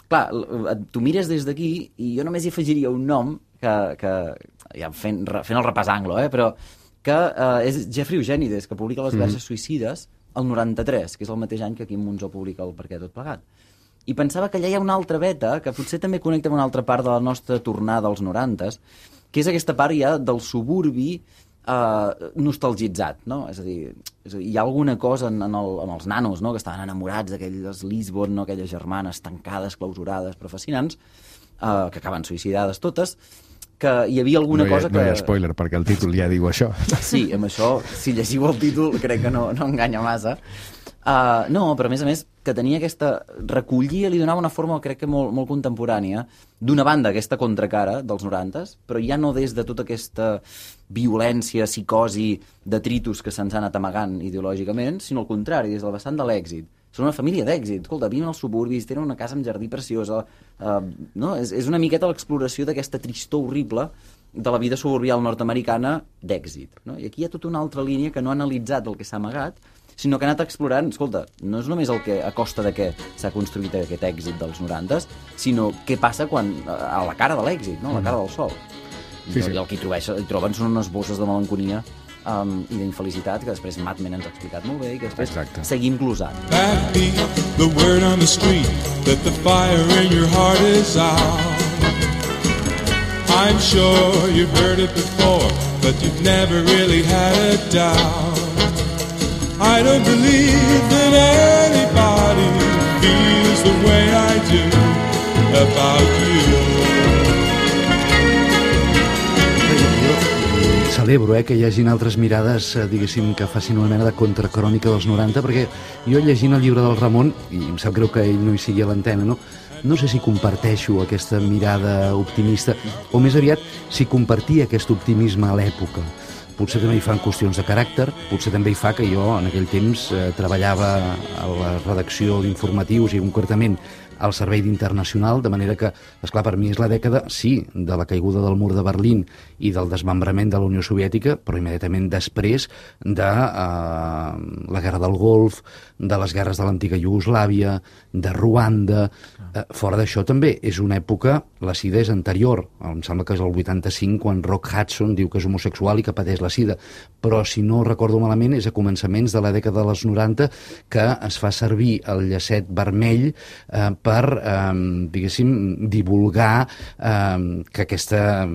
Clar, tu mires des d'aquí i jo només hi afegiria un nom que, que ja fent, fent el repàs anglo, eh, però que uh, és Jeffrey Eugenides, que publica Les verges mm. suïcides el noranta-tres, que és el mateix any que Quim Monzó publica el Per què tot plegat. I pensava que allà hi ha una altra veta que potser també connecta amb una altra part de la nostra tornada als norantes, que és aquesta part ja del suburbi eh, nostalgitzat, no? És a dir, és a dir, hi ha alguna cosa en, en, el, en els nanos, no?, que estaven enamorats d'aquelles Lisbon, no?, aquelles germanes tancades, clausurades, però fascinants, eh, que acaben suïcidades totes, que hi havia alguna no hi ha, cosa que... No hi ha spoiler, perquè el títol ja diu això. Sí, amb això, si llegiu el títol, crec que no, no enganya massa. Uh, no, però a més a més que tenia aquesta... recollia, li donava una forma, crec que molt, molt contemporània, d'una banda, aquesta contracara dels norantes, però ja no des de tota aquesta violència, psicosi, detritus que se'ns han anat amagant ideològicament, sinó al contrari, des del vessant de l'èxit. són una família d'èxit. Escolta, viuen als suburbis, tenen una casa amb jardí preciosa, uh, no? és, és una miqueta l'exploració d'aquesta tristor horrible de la vida suburbial nord-americana d'èxit. No? I aquí hi ha tota una altra línia que no ha analitzat el que s'ha amagat, sinó que ha anat explorant, escolta, no és només el que a costa de què s'ha construït aquest èxit dels norantes, sinó què passa quan a la cara de l'èxit, no? A la cara del sol. Sí, sí. I el que hi, trobeix, hi troben són unes bosses de melancolia um, i d'infelicitat que després Mad Men ens ha explicat molt bé i que després Exacte. Seguim glosant. That be the word on the street that the fire in your heart is out. I'm sure you've heard it before, but you've never really had a doubt. I don't believe that anybody feels the way I do about you. Celebro eh, que hi hagin altres mirades, eh, diguéssim, que facin una mena de contracrònica dels noranta, perquè jo llegint el llibre del Ramon, i em sap greu que ell no hi sigui a l'antena, no? No sé si comparteixo aquesta mirada optimista, o més aviat si compartia aquest optimisme a l'època. Potser també hi fan qüestions de caràcter, potser també hi fa que jo en aquell temps eh, treballava a la redacció d'informatius i concretament al servei d'Internacional, de manera que, esclar, per mi és la dècada, sí, de la caiguda del mur de Berlín i del desmembrament de la Unió Soviètica, però immediatament després de eh, la Guerra del Golf, de les guerres de l'antiga Iugoslàvia, de Ruanda. Eh, fora d'això també és una època, la sida és anterior, em sembla que és el vuitanta-cinc quan Rock Hudson diu que és homosexual i que pateix la sida, però si no recordo malament és a començaments de la dècada dels noranta que es fa servir el llacet vermell eh, per, eh, diguéssim, divulgar eh, que aquesta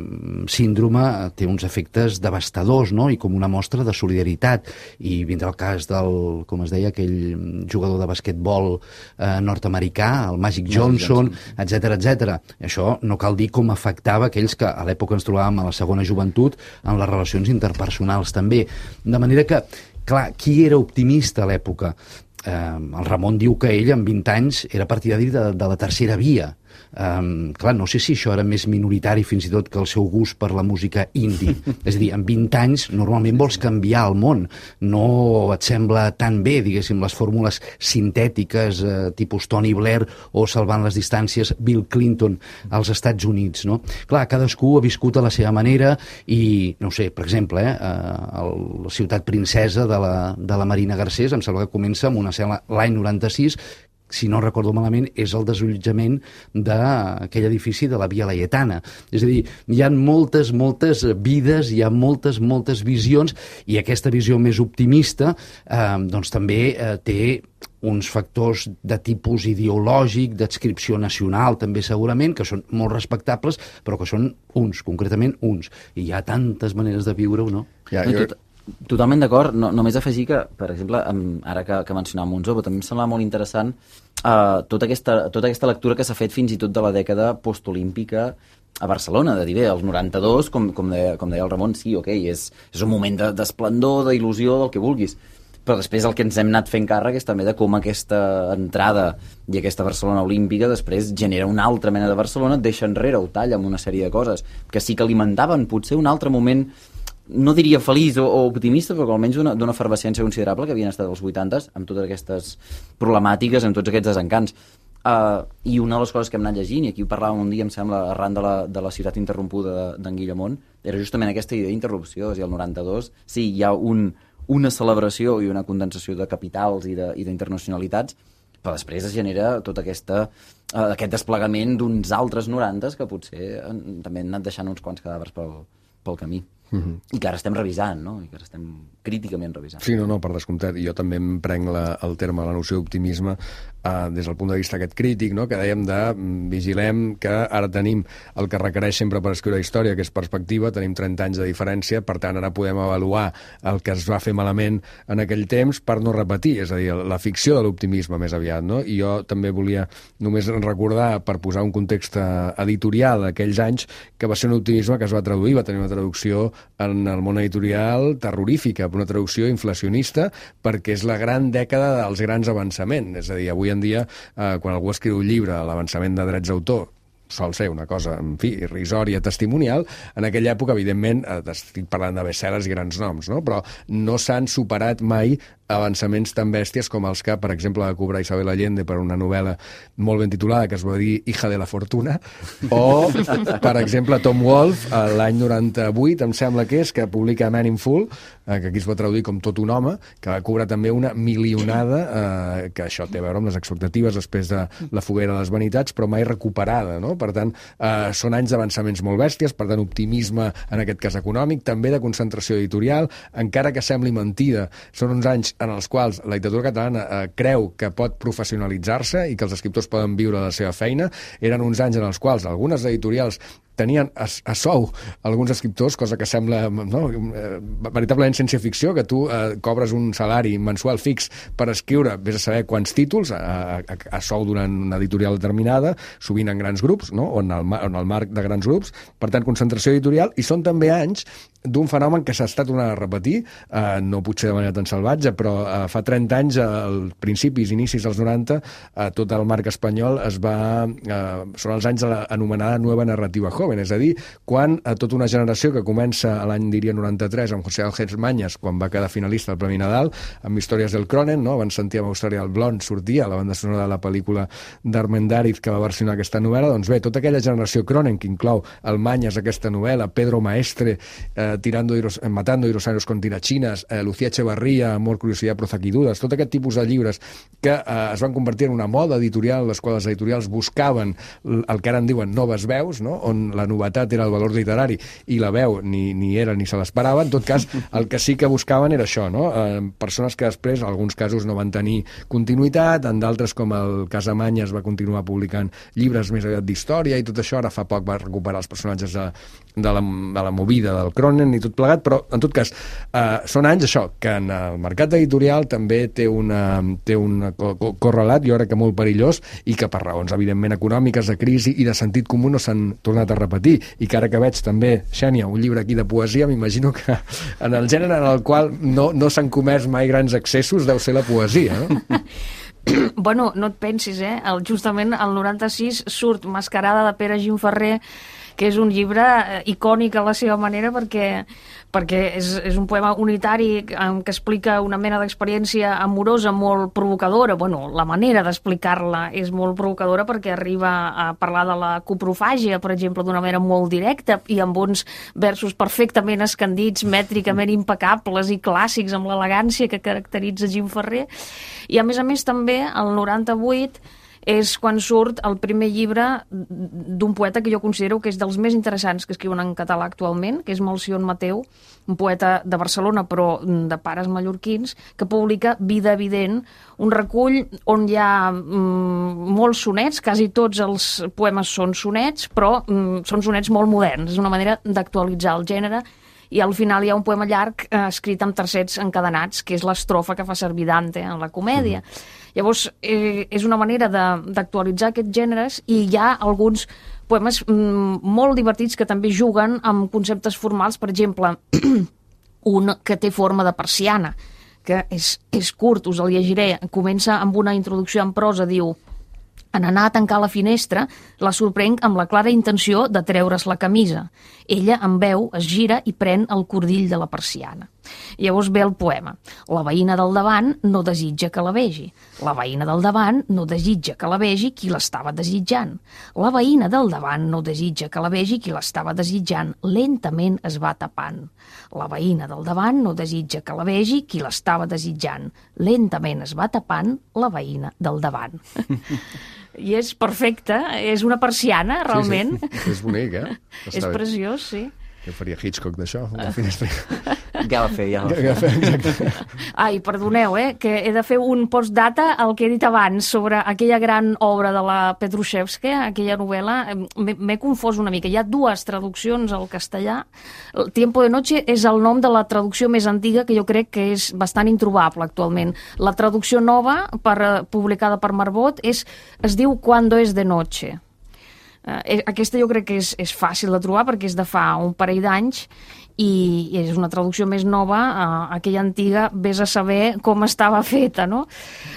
síndrome té uns efectes devastadors, no? I com una mostra de solidaritat. I vindrà el cas del, com es deia, aquell jugador de basquetbol eh, nord-americà, el Magic Johnson, etcètera, etcètera. Això no cal dir com afectava aquells que a l'època ens trobàvem a la segona joventut en les relacions interpersonals també. De manera que, clar, qui era optimista a l'època? Eh, el Ramon diu que ell amb vint anys era partidari de, de la tercera via. Um, clar, no sé si això era més minoritari fins i tot que el seu gust per la música indie. És a dir, amb vint anys normalment vols canviar el món, no et sembla tan bé, diguéssim, les fórmules sintètiques eh, tipus Tony Blair o salvant les distàncies Bill Clinton als Estats Units, no? Clar, cadascú ha viscut a la seva manera i, no sé, per exemple, eh, el, la ciutat princesa de la, de la Marina Garcés, em sembla que comença amb una escena l'any noranta-sis, si no recordo malament, és el desallotjament d'aquell edifici de la Via Laietana. És a dir, hi ha moltes, moltes vides, hi ha moltes, moltes visions, i aquesta visió més optimista eh, doncs també eh, té uns factors de tipus ideològic, d'adscripció nacional, també segurament, que són molt respectables, però que són uns, concretament uns. I hi ha tantes maneres de viure-ho, no? Ja, jo... Totalment d'acord, no, només afegir que, per exemple, amb, ara que, que mencionàvem Monzó, també em sembla molt interessant uh, tota, aquesta, tota aquesta lectura que s'ha fet fins i tot de la dècada postolímpica a Barcelona, de dir, bé, els noranta-dos, com, com, deia, com deia el Ramon, sí, ok, és, és un moment d'esplendor, de, d'il·lusió, del que vulguis, però després el que ens hem anat fent càrrec és també de com aquesta entrada i aquesta Barcelona olímpica després genera una altra mena de Barcelona, et deixa enrere o talla amb una sèrie de coses que sí que alimentaven potser un altre moment, no diria feliç o, o optimista, però almenys d'una efervescència considerable que havien estat als vuitantes, amb totes aquestes problemàtiques, amb tots aquests desencants. Uh, I una de les coses que hem anat llegint, i aquí ho parlàvem un dia, em sembla, arran de la, de la ciutat interrompuda d'en Guillamont, era justament aquesta idea d'interrupció. És a dir, el noranta-dos, sí, hi ha un, una celebració i una condensació de capitals i d'internacionalitats, però després es genera tot aquesta, uh, aquest desplegament d'uns altres norantes que potser uh, també han anat deixant uns quants cadàvers pel, pel camí. Uh-huh. I que ara estem revisant, no? I que ara estem críticament revisant. Sí, no, no, per descomptat. I jo també em prenc la, el terme, la noció d'optimisme, eh, des del punt de vista aquest crític, no? Que dèiem de vigilem que ara tenim el que requereix sempre per escriure història, que és perspectiva, tenim trenta anys de diferència, per tant ara podem avaluar el que es va fer malament en aquell temps per no repetir, és a dir, la ficció de l'optimisme més aviat, no? I jo també volia només recordar, per posar un context editorial d'aquells anys, que va ser un optimisme que es va traduir, va tenir una traducció en el món editorial terrorífica, una traducció inflacionista, perquè és la gran dècada dels grans avançaments. És a dir, avui en dia, eh, quan algú escriu un llibre, l'avançament de drets d'autor sol ser una cosa, en fi, irrisòria, testimonial. En aquella època, evidentment, eh, estic parlant de bestsellers i grans noms, no? Però no s'han superat mai avançaments tan bèsties com els que, per exemple, va cobrar Isabel Allende per una novel·la molt ben titulada que es va dir Hija de la Fortuna, o, per exemple, Tom Wolfe, l'any noranta-vuit, em sembla que és, que publica Man in Full, eh, que aquí es va traduir com Tot un home, que va cobrar també una milionada, eh, que això té a veure amb les expectatives després de La foguera de les vanitats, però mai recuperada, no? Per tant, eh, són anys d'avançaments molt bèsties, per tant, optimisme, en aquest cas econòmic, també de concentració editorial, encara que sembli mentida, són uns anys en els quals la literatura catalana eh, creu que pot professionalitzar-se i que els escriptors poden viure de la seva feina. Eren uns anys en els quals algunes editorials tenien a, a sou alguns escriptors, cosa que sembla no, veritablement ciència-ficció, que tu eh, cobres un salari mensual fix per escriure, vés a saber quants títols, a, a, a sou durant una editorial determinada, sovint en grans grups, no? o en el, en el marc de grans grups, per tant, concentració editorial, i són també anys d'un fenomen que s'ha estat tornant a repetir, eh, no potser de manera tan salvatge, però eh, fa trenta anys, als principis, inicis dels noranta, eh, tot el marc espanyol es va... Eh, són els anys de l'anomenada Nueva Narrativa Joven, és a dir, quan a tota una generació que comença a l'any, diria, noranta-tres, amb José Ángel Mañas, quan va quedar finalista al Premi Nadal, amb Històries del Cronen, no? Abans sentíem Austràlia del Blond, sortia la banda sonora de la pel·lícula d'Armendáriz que va versionar aquesta novel·la, doncs bé, tota aquella generació Cronen, que inclou el Mañas, aquesta novel·la, Pedro Maestre, eh, tirando iros, matando dinosaurios con tirachinas, eh, Lucía Echevarría, Amor, Curiosidad, Prozac i Dudas, tot aquest tipus de llibres que eh, es van convertir en una moda editorial, les quals les editorials buscaven el que ara en diuen noves veus, no? On la novetat era el valor literari i la veu ni, ni era ni se l'esperava. En tot cas, el que sí que buscaven era això, no? Eh, persones que després, en alguns casos, no van tenir continuïtat, en d'altres, com el cas de Mañas, va continuar publicant llibres més aviat d'història i tot això. Ara fa poc va recuperar els personatges de, de, la, de la movida del Cronen i tot plegat, però en tot cas eh, són anys això, que en el mercat editorial també té una, té un correlat, jo crec que molt perillós, i que per raons evidentment econòmiques, de crisi i de sentit comú no s'han tornat a repetir, i que ara que veig també, Xènia, un llibre aquí de poesia, m'imagino que en el gènere en el qual no, no s'han comès mai grans excessos deu ser la poesia, no? Bueno, no et pensis, eh? El, justament el noranta-sis surt Mascarada de Pere Gimferrer, que és un llibre icònic a la seva manera perquè, perquè és, és un poema unitari que explica una mena d'experiència amorosa molt provocadora. Bueno, la manera d'explicar-la és molt provocadora perquè arriba a parlar de la coprofàgia, per exemple, d'una manera molt directa i amb uns versos perfectament escandits, mètricament impecables i clàssics amb l'elegància que caracteritza Gimferrer. I a més a més també el noranta-vuit és quan surt el primer llibre d'un poeta que jo considero que és dels més interessants que escriuen en català actualment, que és Melcion Mateu, un poeta de Barcelona però de pares mallorquins, que publica Vida evident, un recull on hi ha mm, molts sonets, quasi tots els poemes són sonets, però mm, són sonets molt moderns, és una manera d'actualitzar el gènere, i al final hi ha un poema llarg eh, escrit amb tercets encadenats, que és l'estrofa que fa servir Dante en la comèdia. Mm. Llavors, eh, és una manera d'actualitzar aquests gèneres i hi ha alguns poemes mm, molt divertits que també juguen amb conceptes formals, per exemple, un que té forma de persiana, que és, és curt, us el llegiré, comença amb una introducció en prosa, diu: en anar a tancar la finestra, la sorprenc amb la clara intenció de treure's la camisa. Ella em veu, es gira i pren el cordill de la persiana. I llavors ve el poema. La veïna del davant no desitja que la vegi. La veïna del davant no desitja que la vegi qui l'estava desitjant. La veïna del davant no desitja que la vegi qui l'estava desitjant. Lentament es va tapant. La veïna del davant no desitja que la vegi qui l'estava desitjant. Lentament es va tapant la veïna del davant. I és perfecte, és una persiana, realment. Sí, sí. És bonic, eh? Està és bé. preciós, sí. Què faria Hitchcock d'això? La finestra. Ja va fer, ja va fer. Ja va fer, exacte. Ai, perdoneu, eh, que he de fer un postdata al que he dit abans sobre aquella gran obra de la Petrushevska, aquella novel·la. M'he confós una mica. Hi ha dues traduccions al castellà. El Tiempo de noche és el nom de la traducció més antiga, que jo crec que és bastant introbable actualment. La traducció nova, per, publicada per Marbot, és, es diu Cuando es de noche. Uh, aquesta jo crec que és, és fàcil de trobar perquè és de fa un parell d'anys i és una traducció més nova, uh, aquella antiga vés a saber com estava feta, no?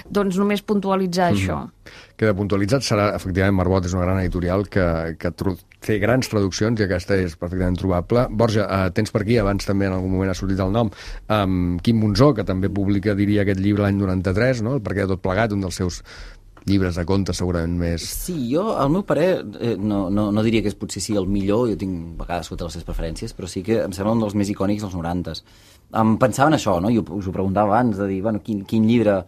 Doncs només puntualitzar mm-hmm. això. Queda puntualitzat, serà, efectivament, Marbot és una gran editorial que, que fer grans traduccions, i aquesta és perfectament trobable. Borja, eh, tens per aquí, abans també en algun moment ha sortit el nom, um, Quim Monzó, que també publica, diria, aquest llibre l'any noranta-tres, no? El perquè de tot plegat, un dels seus llibres de contes segurament més... Sí, jo, al meu parer, eh, no, no, no diria que és potser sí el millor, jo tinc a vegades sota les seves preferències, però sí que em sembla un dels més icònics dels norantes. Em pensava en això, no? Jo us ho preguntava abans, de dir, bueno, quin, quin llibre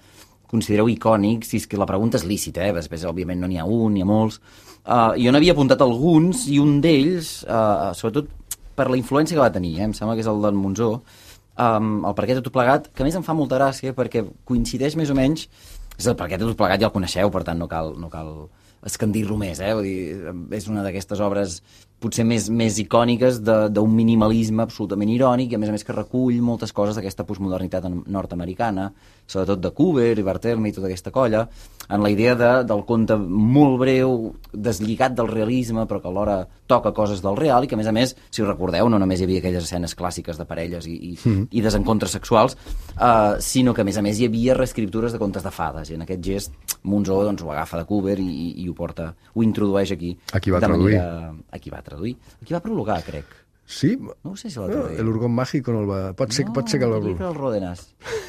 considereu icònic, si és que la pregunta és lícita, eh? Després, òbviament, no n'hi ha un, n'hi ha molts. Uh, jo n'havia apuntat alguns, i un d'ells, uh, sobretot per la influència que va tenir, eh? Em sembla que és el d'en Monzó, um, el perquè de tot plegat, que a més em fa molta gràcia, perquè coincideix més o menys. És el perquè de tot plegat ja el coneixeu, per tant no cal, no cal escandir-lo més, eh? Vull dir, és una d'aquestes obres potser més, més icòniques d'un minimalisme absolutament irònic, i a més a més que recull moltes coses d'aquesta postmodernitat nord-americana, sobretot de Coover i Barthelme i tota aquesta colla, en la idea de, del conte molt breu, deslligat del realisme, però que alhora toca coses del real, i que a més a més, si us recordeu, no només hi havia aquelles escenes clàssiques de parelles i, i, mm. i desencontres sexuals, uh, sinó que a més a més hi havia reescriptures de contes de fades, i en aquest gest Monzó doncs, ho agafa de Coover i, i, i ho porta, ho introdueix aquí. Aquí va traduir. Manera, aquí va traduir. Aquí va prologar, crec. Sí? No ho sé si l'ha traduït. El Urgón Mágico no el va... Pot ser, no, pot ser que el va... No, diria que el Ródenas.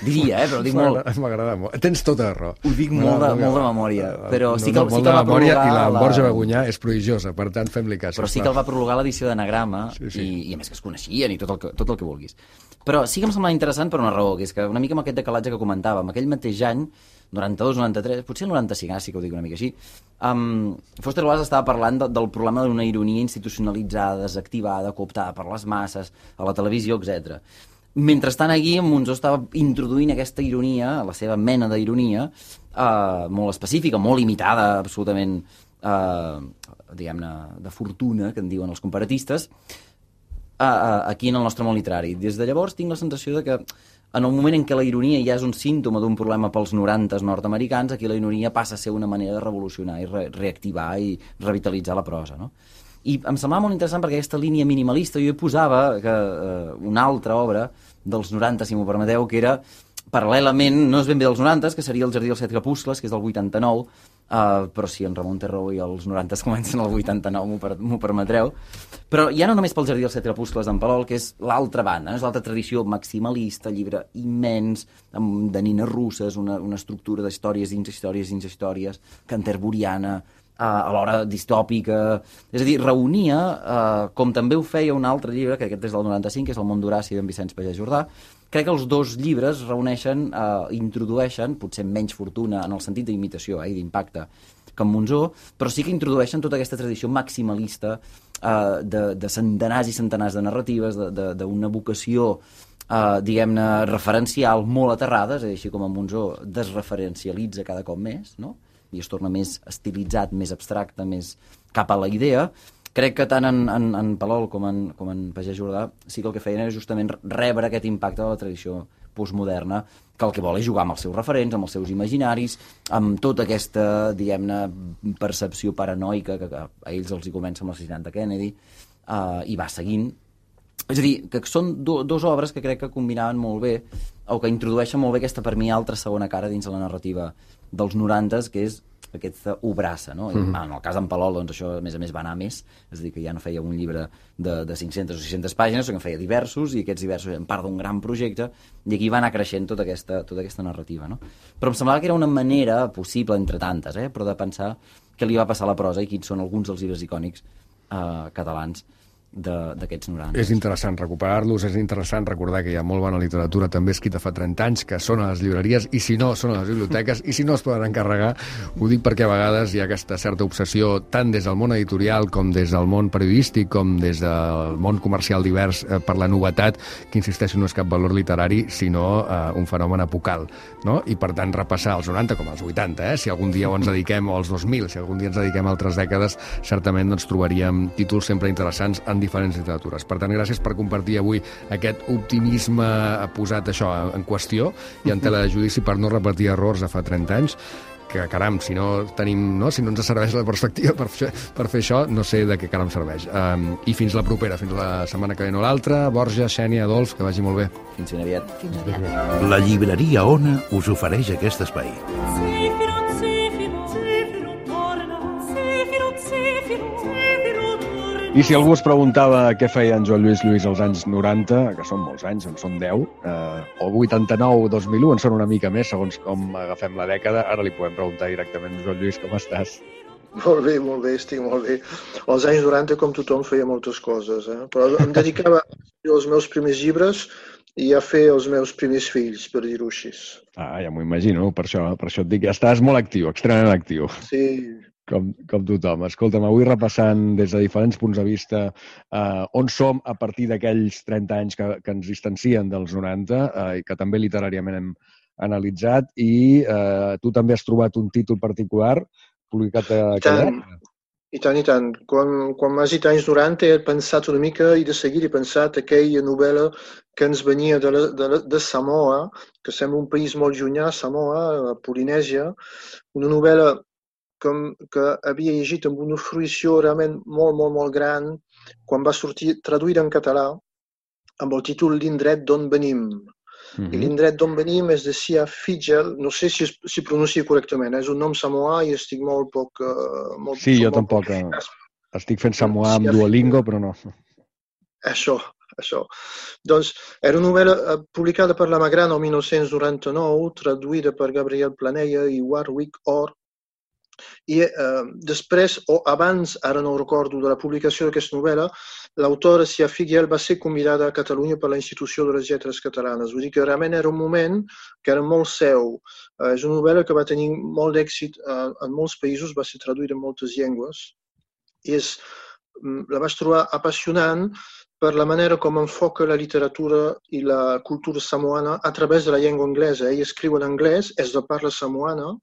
Diria, eh, però ho dic molt... M'agrada molt. Tens tota la raó. Ho dic molt de, molt de memòria, però sí que, no, sí que el va prologar... I la la... Borja Bagunyà és prodigiosa, per tant, fem-li cas. Però sí que el va prologar l'edició d'Anagrama, sí, sí. I, i a més que es coneixien i tot el que, tot el que vulguis. Però sí que em sembla interessant per una raó, que és que una mica amb aquest decalatge que comentàvem, aquell mateix any, noranta-dos noranta-tres, potser el noranta-cinc, ara sí que ho dic una mica així, um, Foster Wallace estava parlant de, del problema d'una ironia institucionalitzada, desactivada, cooptada per les masses, a la televisió, etcètera. Mentrestant, aquí, Monzó estava introduint aquesta ironia, la seva mena d'ironia, uh, molt específica, molt limitada, absolutament, uh, diguem-ne, de fortuna, que en diuen els comparatistes, uh, uh, aquí en el nostre món literari. Des de llavors tinc la sensació de que en el moment en què la ironia ja és un símptoma d'un problema pels norantes nord-americans, aquí la ironia passa a ser una manera de revolucionar i re reactivar i revitalitzar la prosa, no? I em semblava molt interessant perquè aquesta línia minimalista, jo hi posava que, eh, una altra obra dels noranta, si m'ho permeteu, que era paral·lelament, no és ben bé dels noranta, que seria El jardí dels set crepuscles, que és del vuitanta-nou, Uh, però si en Ramon té raó i els noranta comencen al vuitanta-nou, m'ho per, permetreu. Però ja no només pel jardí dels set crepuscles d'en Palol, que és l'altra banda, no? És l'altra tradició maximalista, llibre immens, amb de nines russes, una, una estructura d'històries dins històries dins històries, canterburiana, uh, alhora distòpica. És a dir, reunia, uh, com també ho feia un altre llibre, que aquest és del noranta-cinc, que és El món d'Horaci d'en Vicenç Pagès Jordà. Crec que els dos llibres reuneixen, eh, introdueixen, potser menys fortuna en el sentit d'imitació eh, i d'impacte que en Monzó, però sí que introdueixen tota aquesta tradició maximalista eh, de, de centenars i centenars de narratives, d'una vocació, eh, diguem-ne, referencial molt aterrada, és a dir, així com en Monzó desreferencialitza cada cop més, no? I es torna més estilitzat, més abstracte, més cap a la idea. Crec que tant en, en, en Palol com en, com en Pagès Jordà sí que el que feien era justament rebre aquest impacte de la tradició postmoderna, que el que vol és jugar amb els seus referents, amb els seus imaginaris, amb tota aquesta, diguem-ne, percepció paranoica que, que a ells els hi comença amb l'assassinat de Kennedy, uh, i va seguint. És a dir, que són do, dos obres que crec que combinaven molt bé, o que introdueixen molt bé aquesta, per mi, altra segona cara dins de la narrativa dels norantes, que és aquesta obrassa, no? Mm-hmm. En el cas d'en Palol, doncs això, a més a més, va anar més, és a dir, que ja no feia un llibre de, de cinc-centes o sis-centes pàgines, sinó que en feia diversos, i aquests diversos eren part d'un gran projecte, i aquí va anar creixent tota aquesta, tota aquesta narrativa, no? Però em semblava que era una manera possible, entre tantes, eh? Però de pensar què li va passar a la prosa i quins són alguns dels llibres icònics eh, catalans d'aquests noranta. És interessant recuperar-los, és interessant recordar que hi ha molt bona literatura també escrita fa trenta anys, que són a les llibreries, i si no, són a les biblioteques, i si no es poden encarregar. Ho dic perquè a vegades hi ha aquesta certa obsessió, tant des del món editorial com des del món periodístic, com des del món comercial divers, eh, per la novetat, que insisteixo no és cap valor literari, sinó eh, un fenomen apocal, no? I per tant repassar els noranta com els vuitanta, eh? Si algun dia ens dediquem, o als dos mil, si algun dia ens dediquem a altres dècades, certament doncs, trobaríem títols sempre interessants en diferents literatures. Per tant, gràcies per compartir avui aquest optimisme posat això en qüestió i en tela de judici per no repetir errors de fa trenta anys, que caram, si no tenim, no, si no ens serveix la perspectiva per fer, per fer això, no sé de què caram serveix. Um, I fins la propera, fins la setmana que ve no l'altra. Borja, Xènia, Adolf, que vagi molt bé. Fins ben aviat. Fins aviat. La llibreria Ona us ofereix aquest espai. Zefiro, Zefiro, Zefiro torna, Zefiro, Zefiro, Zefiro torna. I si algú es preguntava què feia en Joan Lluís Lluís als anys noranta, que són molts anys, en són deu, eh, o vuitanta-nou o dos mil u, en són una mica més, segons com agafem la dècada, ara li podem preguntar directament, Joan Lluís, com estàs? Molt bé, molt bé, estic molt bé. Als anys noranta, com tothom, feia moltes coses, eh? Però em dedicava a fer els meus primers llibres i a fer els meus primers fills, per dir-ho així. Ah, ja m'ho imagino, per això, per això et dic, estàs molt actiu, extremadament actiu. Sí. Com, com tothom. Escolta'm, avui repassant des de diferents punts de vista eh, on som a partir d'aquells trenta anys que, que ens distancien dels noranta eh, i que també literàriament hem analitzat, i eh, tu també has trobat un títol particular publicat a aquella època. I tant, i tant. Quan, quan m'has dit anys noranta he pensat una mica i de seguida he pensat aquella novel·la que ens venia de, la, de, la, de Samoa, que sembla un país molt llunyà, Samoa, a Polinèsia, una novel·la que, que havia llegit amb una fruïció realment molt, molt, molt gran quan va sortir traduïda en català amb el títol L'indret d'on venim. Mm-hmm. I l'indret d'on venim és de Sia Figel, no sé si es si pronuncia correctament, és un nom samoà i estic molt poc... Uh, molt, sí, jo molt tampoc. Poc... Estic fent samoà amb Duolingo, però no. Això, això. Doncs era una novel·la publicada per la Magrana el mil nou-cents noranta-nou, traduïda per Gabriel Planella i Warwick Orr. I eh, després, o abans, ara no recordo, de la publicació d'aquesta novel·la, l'autora Sia Figuel va ser convidada a Catalunya per la Institució de les Lletres Catalanes. Vull dir que realment era un moment que era molt seu. Eh, és una novel·la que va tenir molt d'èxit eh, en molts països, va ser traduïda en moltes llengües. I és, la vaig trobar apassionant per la manera com enfoca la literatura i la cultura samoana a través de la llengua anglesa. Ell escriu en anglès, és de parla samoana.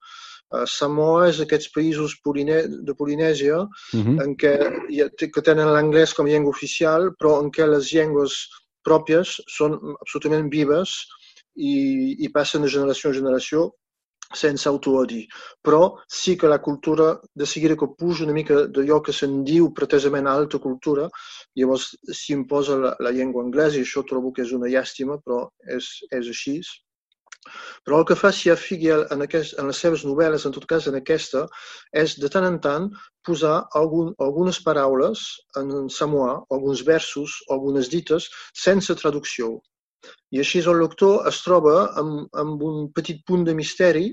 Uh, Samoa és aquests països poline de Polinèsia uh-huh. en què, que tenen l'anglès com a llengua oficial, però en què les llengües pròpies són absolutament vives i, i passen de generació en generació sense autoodi. Però sí que la cultura, de seguida que puja una mica d'allò que se'n diu pretesament alta cultura, llavors s'hi imposa la, la llengua anglesa, i això trobo que és una llàstima, però és, és així. Però el que fa Sia Figuel en, aquest, en les seves novel·les, en tot cas en aquesta, és de tant en tant posar algun, algunes paraules en samoà, alguns versos, algunes dites, sense traducció. I així el lector es troba amb, amb un petit punt de misteri,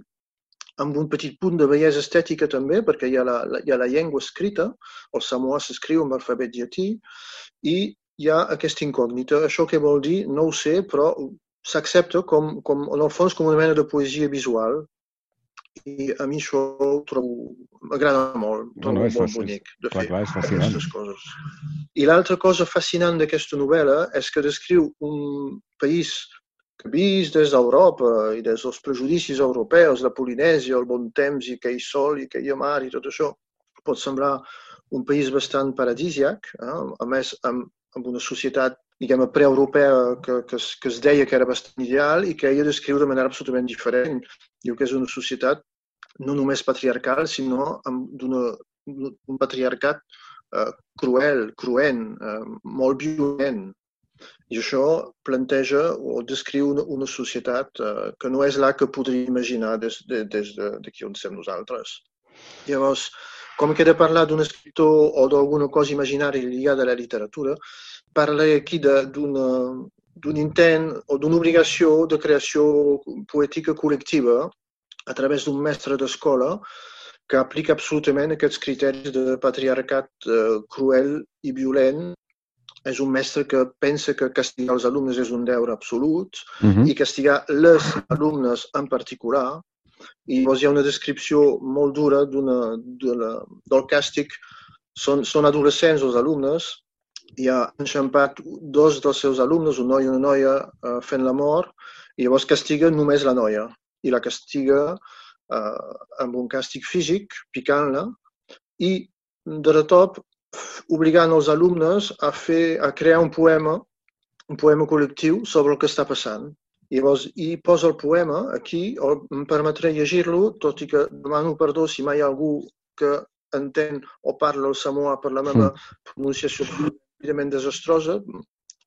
amb un petit punt de bellesa estètica també, perquè hi ha la, la, hi ha la llengua escrita, el samoà s'escriu amb alfabet llatí, i hi ha aquesta incògnita. Això què vol dir? No ho sé, però s'accepta com, com, en el fons, com una mena de poesia visual. I a mi això ho trobo, m'agrada molt, trobo no, no, molt fàcil. Bonic de clar, fer clar, aquestes coses. I l'altra cosa fascinant d'aquesta novel·la és que descriu un país que vist des d'Europa i des dels prejudicis europeus, la Polinèsia, el bon temps i aquell sol i aquella mar i tot això. Pot semblar un país bastant paradisiac, eh? A més amb, amb una societat diguem, preeuropea que, que, es, que es deia que era bastant ideal i que ella descriu de manera absolutament diferent. Diu que és una societat no només patriarcal, sinó d'un patriarcat eh, cruel, cruent, eh, molt violent. I això planteja o descriu una, una societat eh, que no és la que podria imaginar des, de, des d'aquí on som nosaltres. Llavors, com que he de parlar d'un escriptor o d'alguna cosa imaginària lligada a la literatura, parla aquí d'un intent o d'una obligació de creació poètica col·lectiva a través d'un mestre d'escola que aplica absolutament aquests criteris de patriarcat eh, cruel i violent. És un mestre que pensa que castigar els alumnes és un deure absolut uh-huh. i castigar les alumnes en particular. I llavors hi ha una descripció molt dura d'una, d'una, del càstig. Són, són adolescents els alumnes, i ha enxampat dos dels seus alumnes, un noi i una noia, eh, fent la mort, i llavors castiga només la noia. I la castiga eh, amb un càstig físic, picant-la, i de retop obligant els alumnes a, fer, a crear un poema, un poema col·lectiu sobre el que està passant. I llavors hi posa el poema aquí, em permetré llegir-lo, tot i que demano perdó si mai hi ha algú que entén o parla el samoà per la meva pronunciació evidentment desastrosa,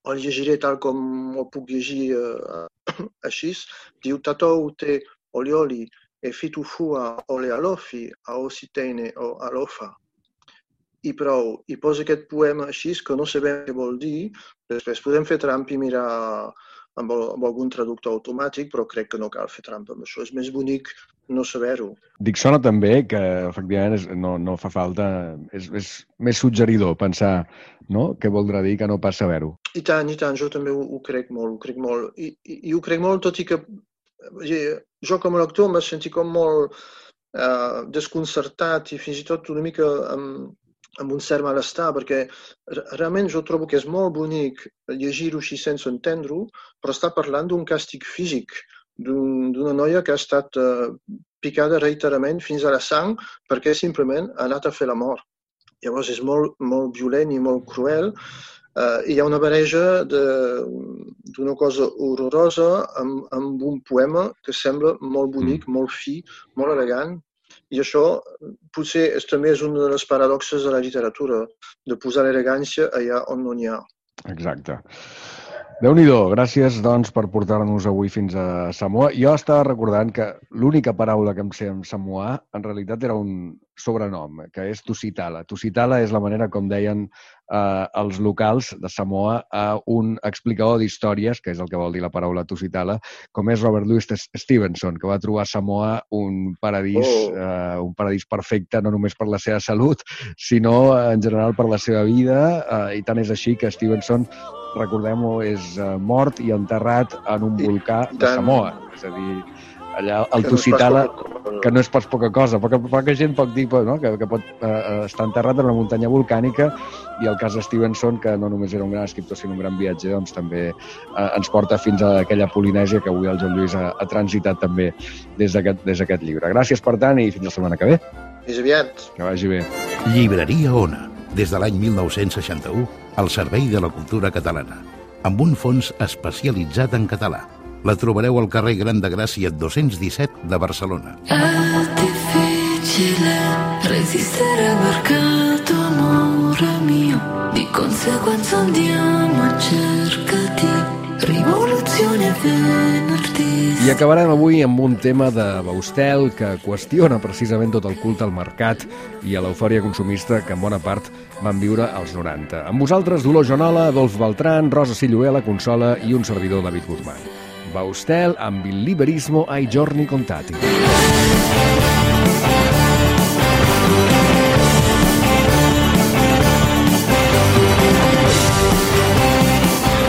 el llegiré tal com el puc llegir eh, així. Diu, tatou te olioli e fitu fua ole alofi a ositeine o alofa. i prou, i posa aquest poema així, que no sabem què vol dir, després podem fer trampa i mirar amb, el, amb algun traductor automàtic, però crec que no cal fer trampa amb això. És més bonic no saber-ho. Dic, sona també que, efectivament, és, no, no fa falta... És, és més suggeridor pensar, no?, què voldrà dir que no pas saber-ho. I tant, i tant, jo també ho, ho crec molt, ho crec molt. I, i, i ho crec molt, tot i que jo com a lector m'he sentit com molt eh, desconcertat i fins i tot una mica amb, amb un cert malestar, perquè realment jo trobo que és molt bonic llegir-ho així sense entendre-ho, però està parlant d'un càstig físic, d'un, d'una noia que ha estat eh, picada reiteradament fins a la sang perquè simplement ha anat a fer la mort. Llavors és molt, molt violent i molt cruel. Uh, hi ha una barreja d'una cosa horrorosa amb, amb un poema que sembla molt bonic, mm. molt fi, molt elegant, i això potser és, també és una de les paradoxes de la literatura, de posar l'elegància allà on no n'hi ha. Exacte. Déu-n'hi-do, gràcies doncs per portar-nos avui fins a Samoa. Jo estava recordant que l'única paraula que em sé en samoà en realitat era un sobrenom, que és Tusitala. Tusitala és la manera com deien eh, els locals de Samoa a un explicador d'històries, que és el que vol dir la paraula Tusitala, com és Robert Louis Stevenson, que va trobar a Samoa un paradís, oh. eh, un paradís perfecte, no només per la seva salut, sinó en general per la seva vida, eh, i tant és així que Stevenson, recordem-ho, és uh, mort i enterrat en un volcà de Samoa. És a dir, allà el Tusitala, que no és pas poca cosa, poca, poca gent pot dir, no?, que, que pot uh, estar enterrat en una muntanya volcànica, i el cas de Stevenson, que no només era un gran escriptor, sinó un gran viatger, doncs també uh, ens porta fins a aquella Polinèsia que avui el Joan Lluís ha, ha transitat també des d'aquest, des d'aquest llibre. Gràcies, per tant, i fins la setmana que ve. Fins aviat. Que vagi bé. Llibreria Ona, des de l'any mil nou-cents seixanta-u, al servei de la cultura catalana, amb un fons especialitzat en català. La trobareu al carrer Gran de Gràcia dos-cents disset de Barcelona. È difficile resistere perché tu, amore mio, di conseguenza andiamo a cercati, rivoluzione venerdì. I acabarem avui amb un tema de Baustel que qüestiona precisament tot el culte al mercat i a l'eufòria consumista que en bona part van viure als noranta. Amb vosaltres, Dolors Joanola, Adolf Beltrán, Rosa Silloé, la consola i un servidor, David Guzmán. Baustel amb il liberismo ai giorni contati.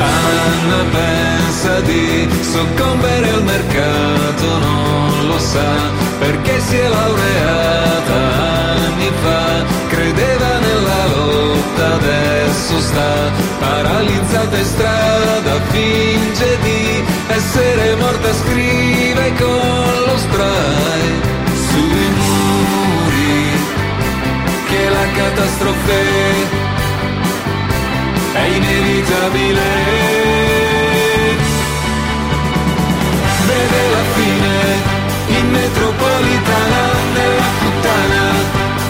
Anna pensa di soccombere al mercato, non lo sa perché si è laureata anni fa, credeva nella lotta, adesso sta paralizzata in strada, finge di essere morta, scrive con lo spray sui muri che la catastrofe è inevitabile. Vede la fine in metropolitana, nella puttana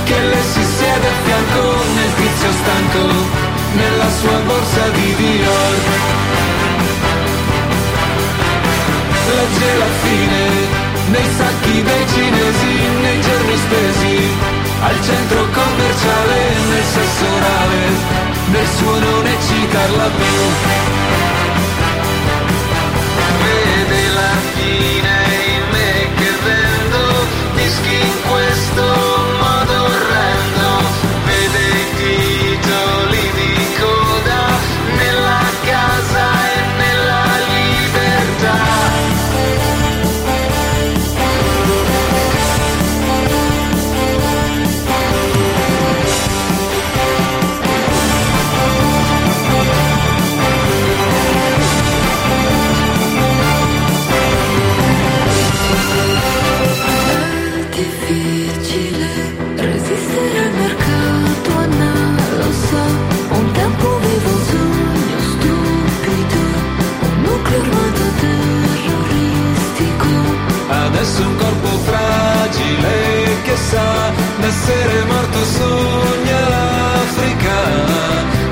che le si siede a fianco, nel tizio stanco, nella sua borsa di Dior. Legge la fine nei sacchi dei cinesi, nei giorni spesi al centro commerciale, nel sesso orale, nel suo non eccitarla più. Vede la fine in me che vendo dischi in questo modo orrendo, vede i titoli di coda nella casa e nella libertà. Adesso un corpo fragile che sa d'essere morto, sogna l'Africa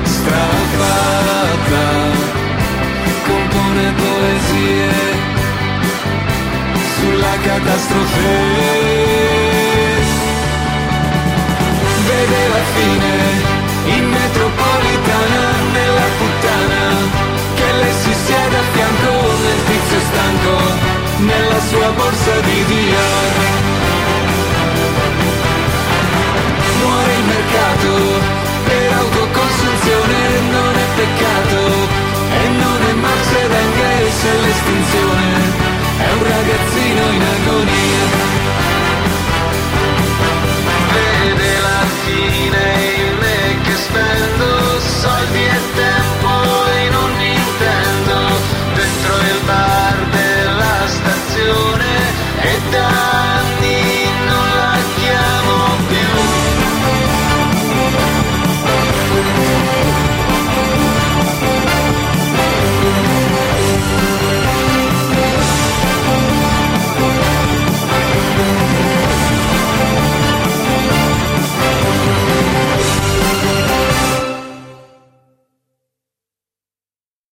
strafatta, compone poesie sulla catastrofe.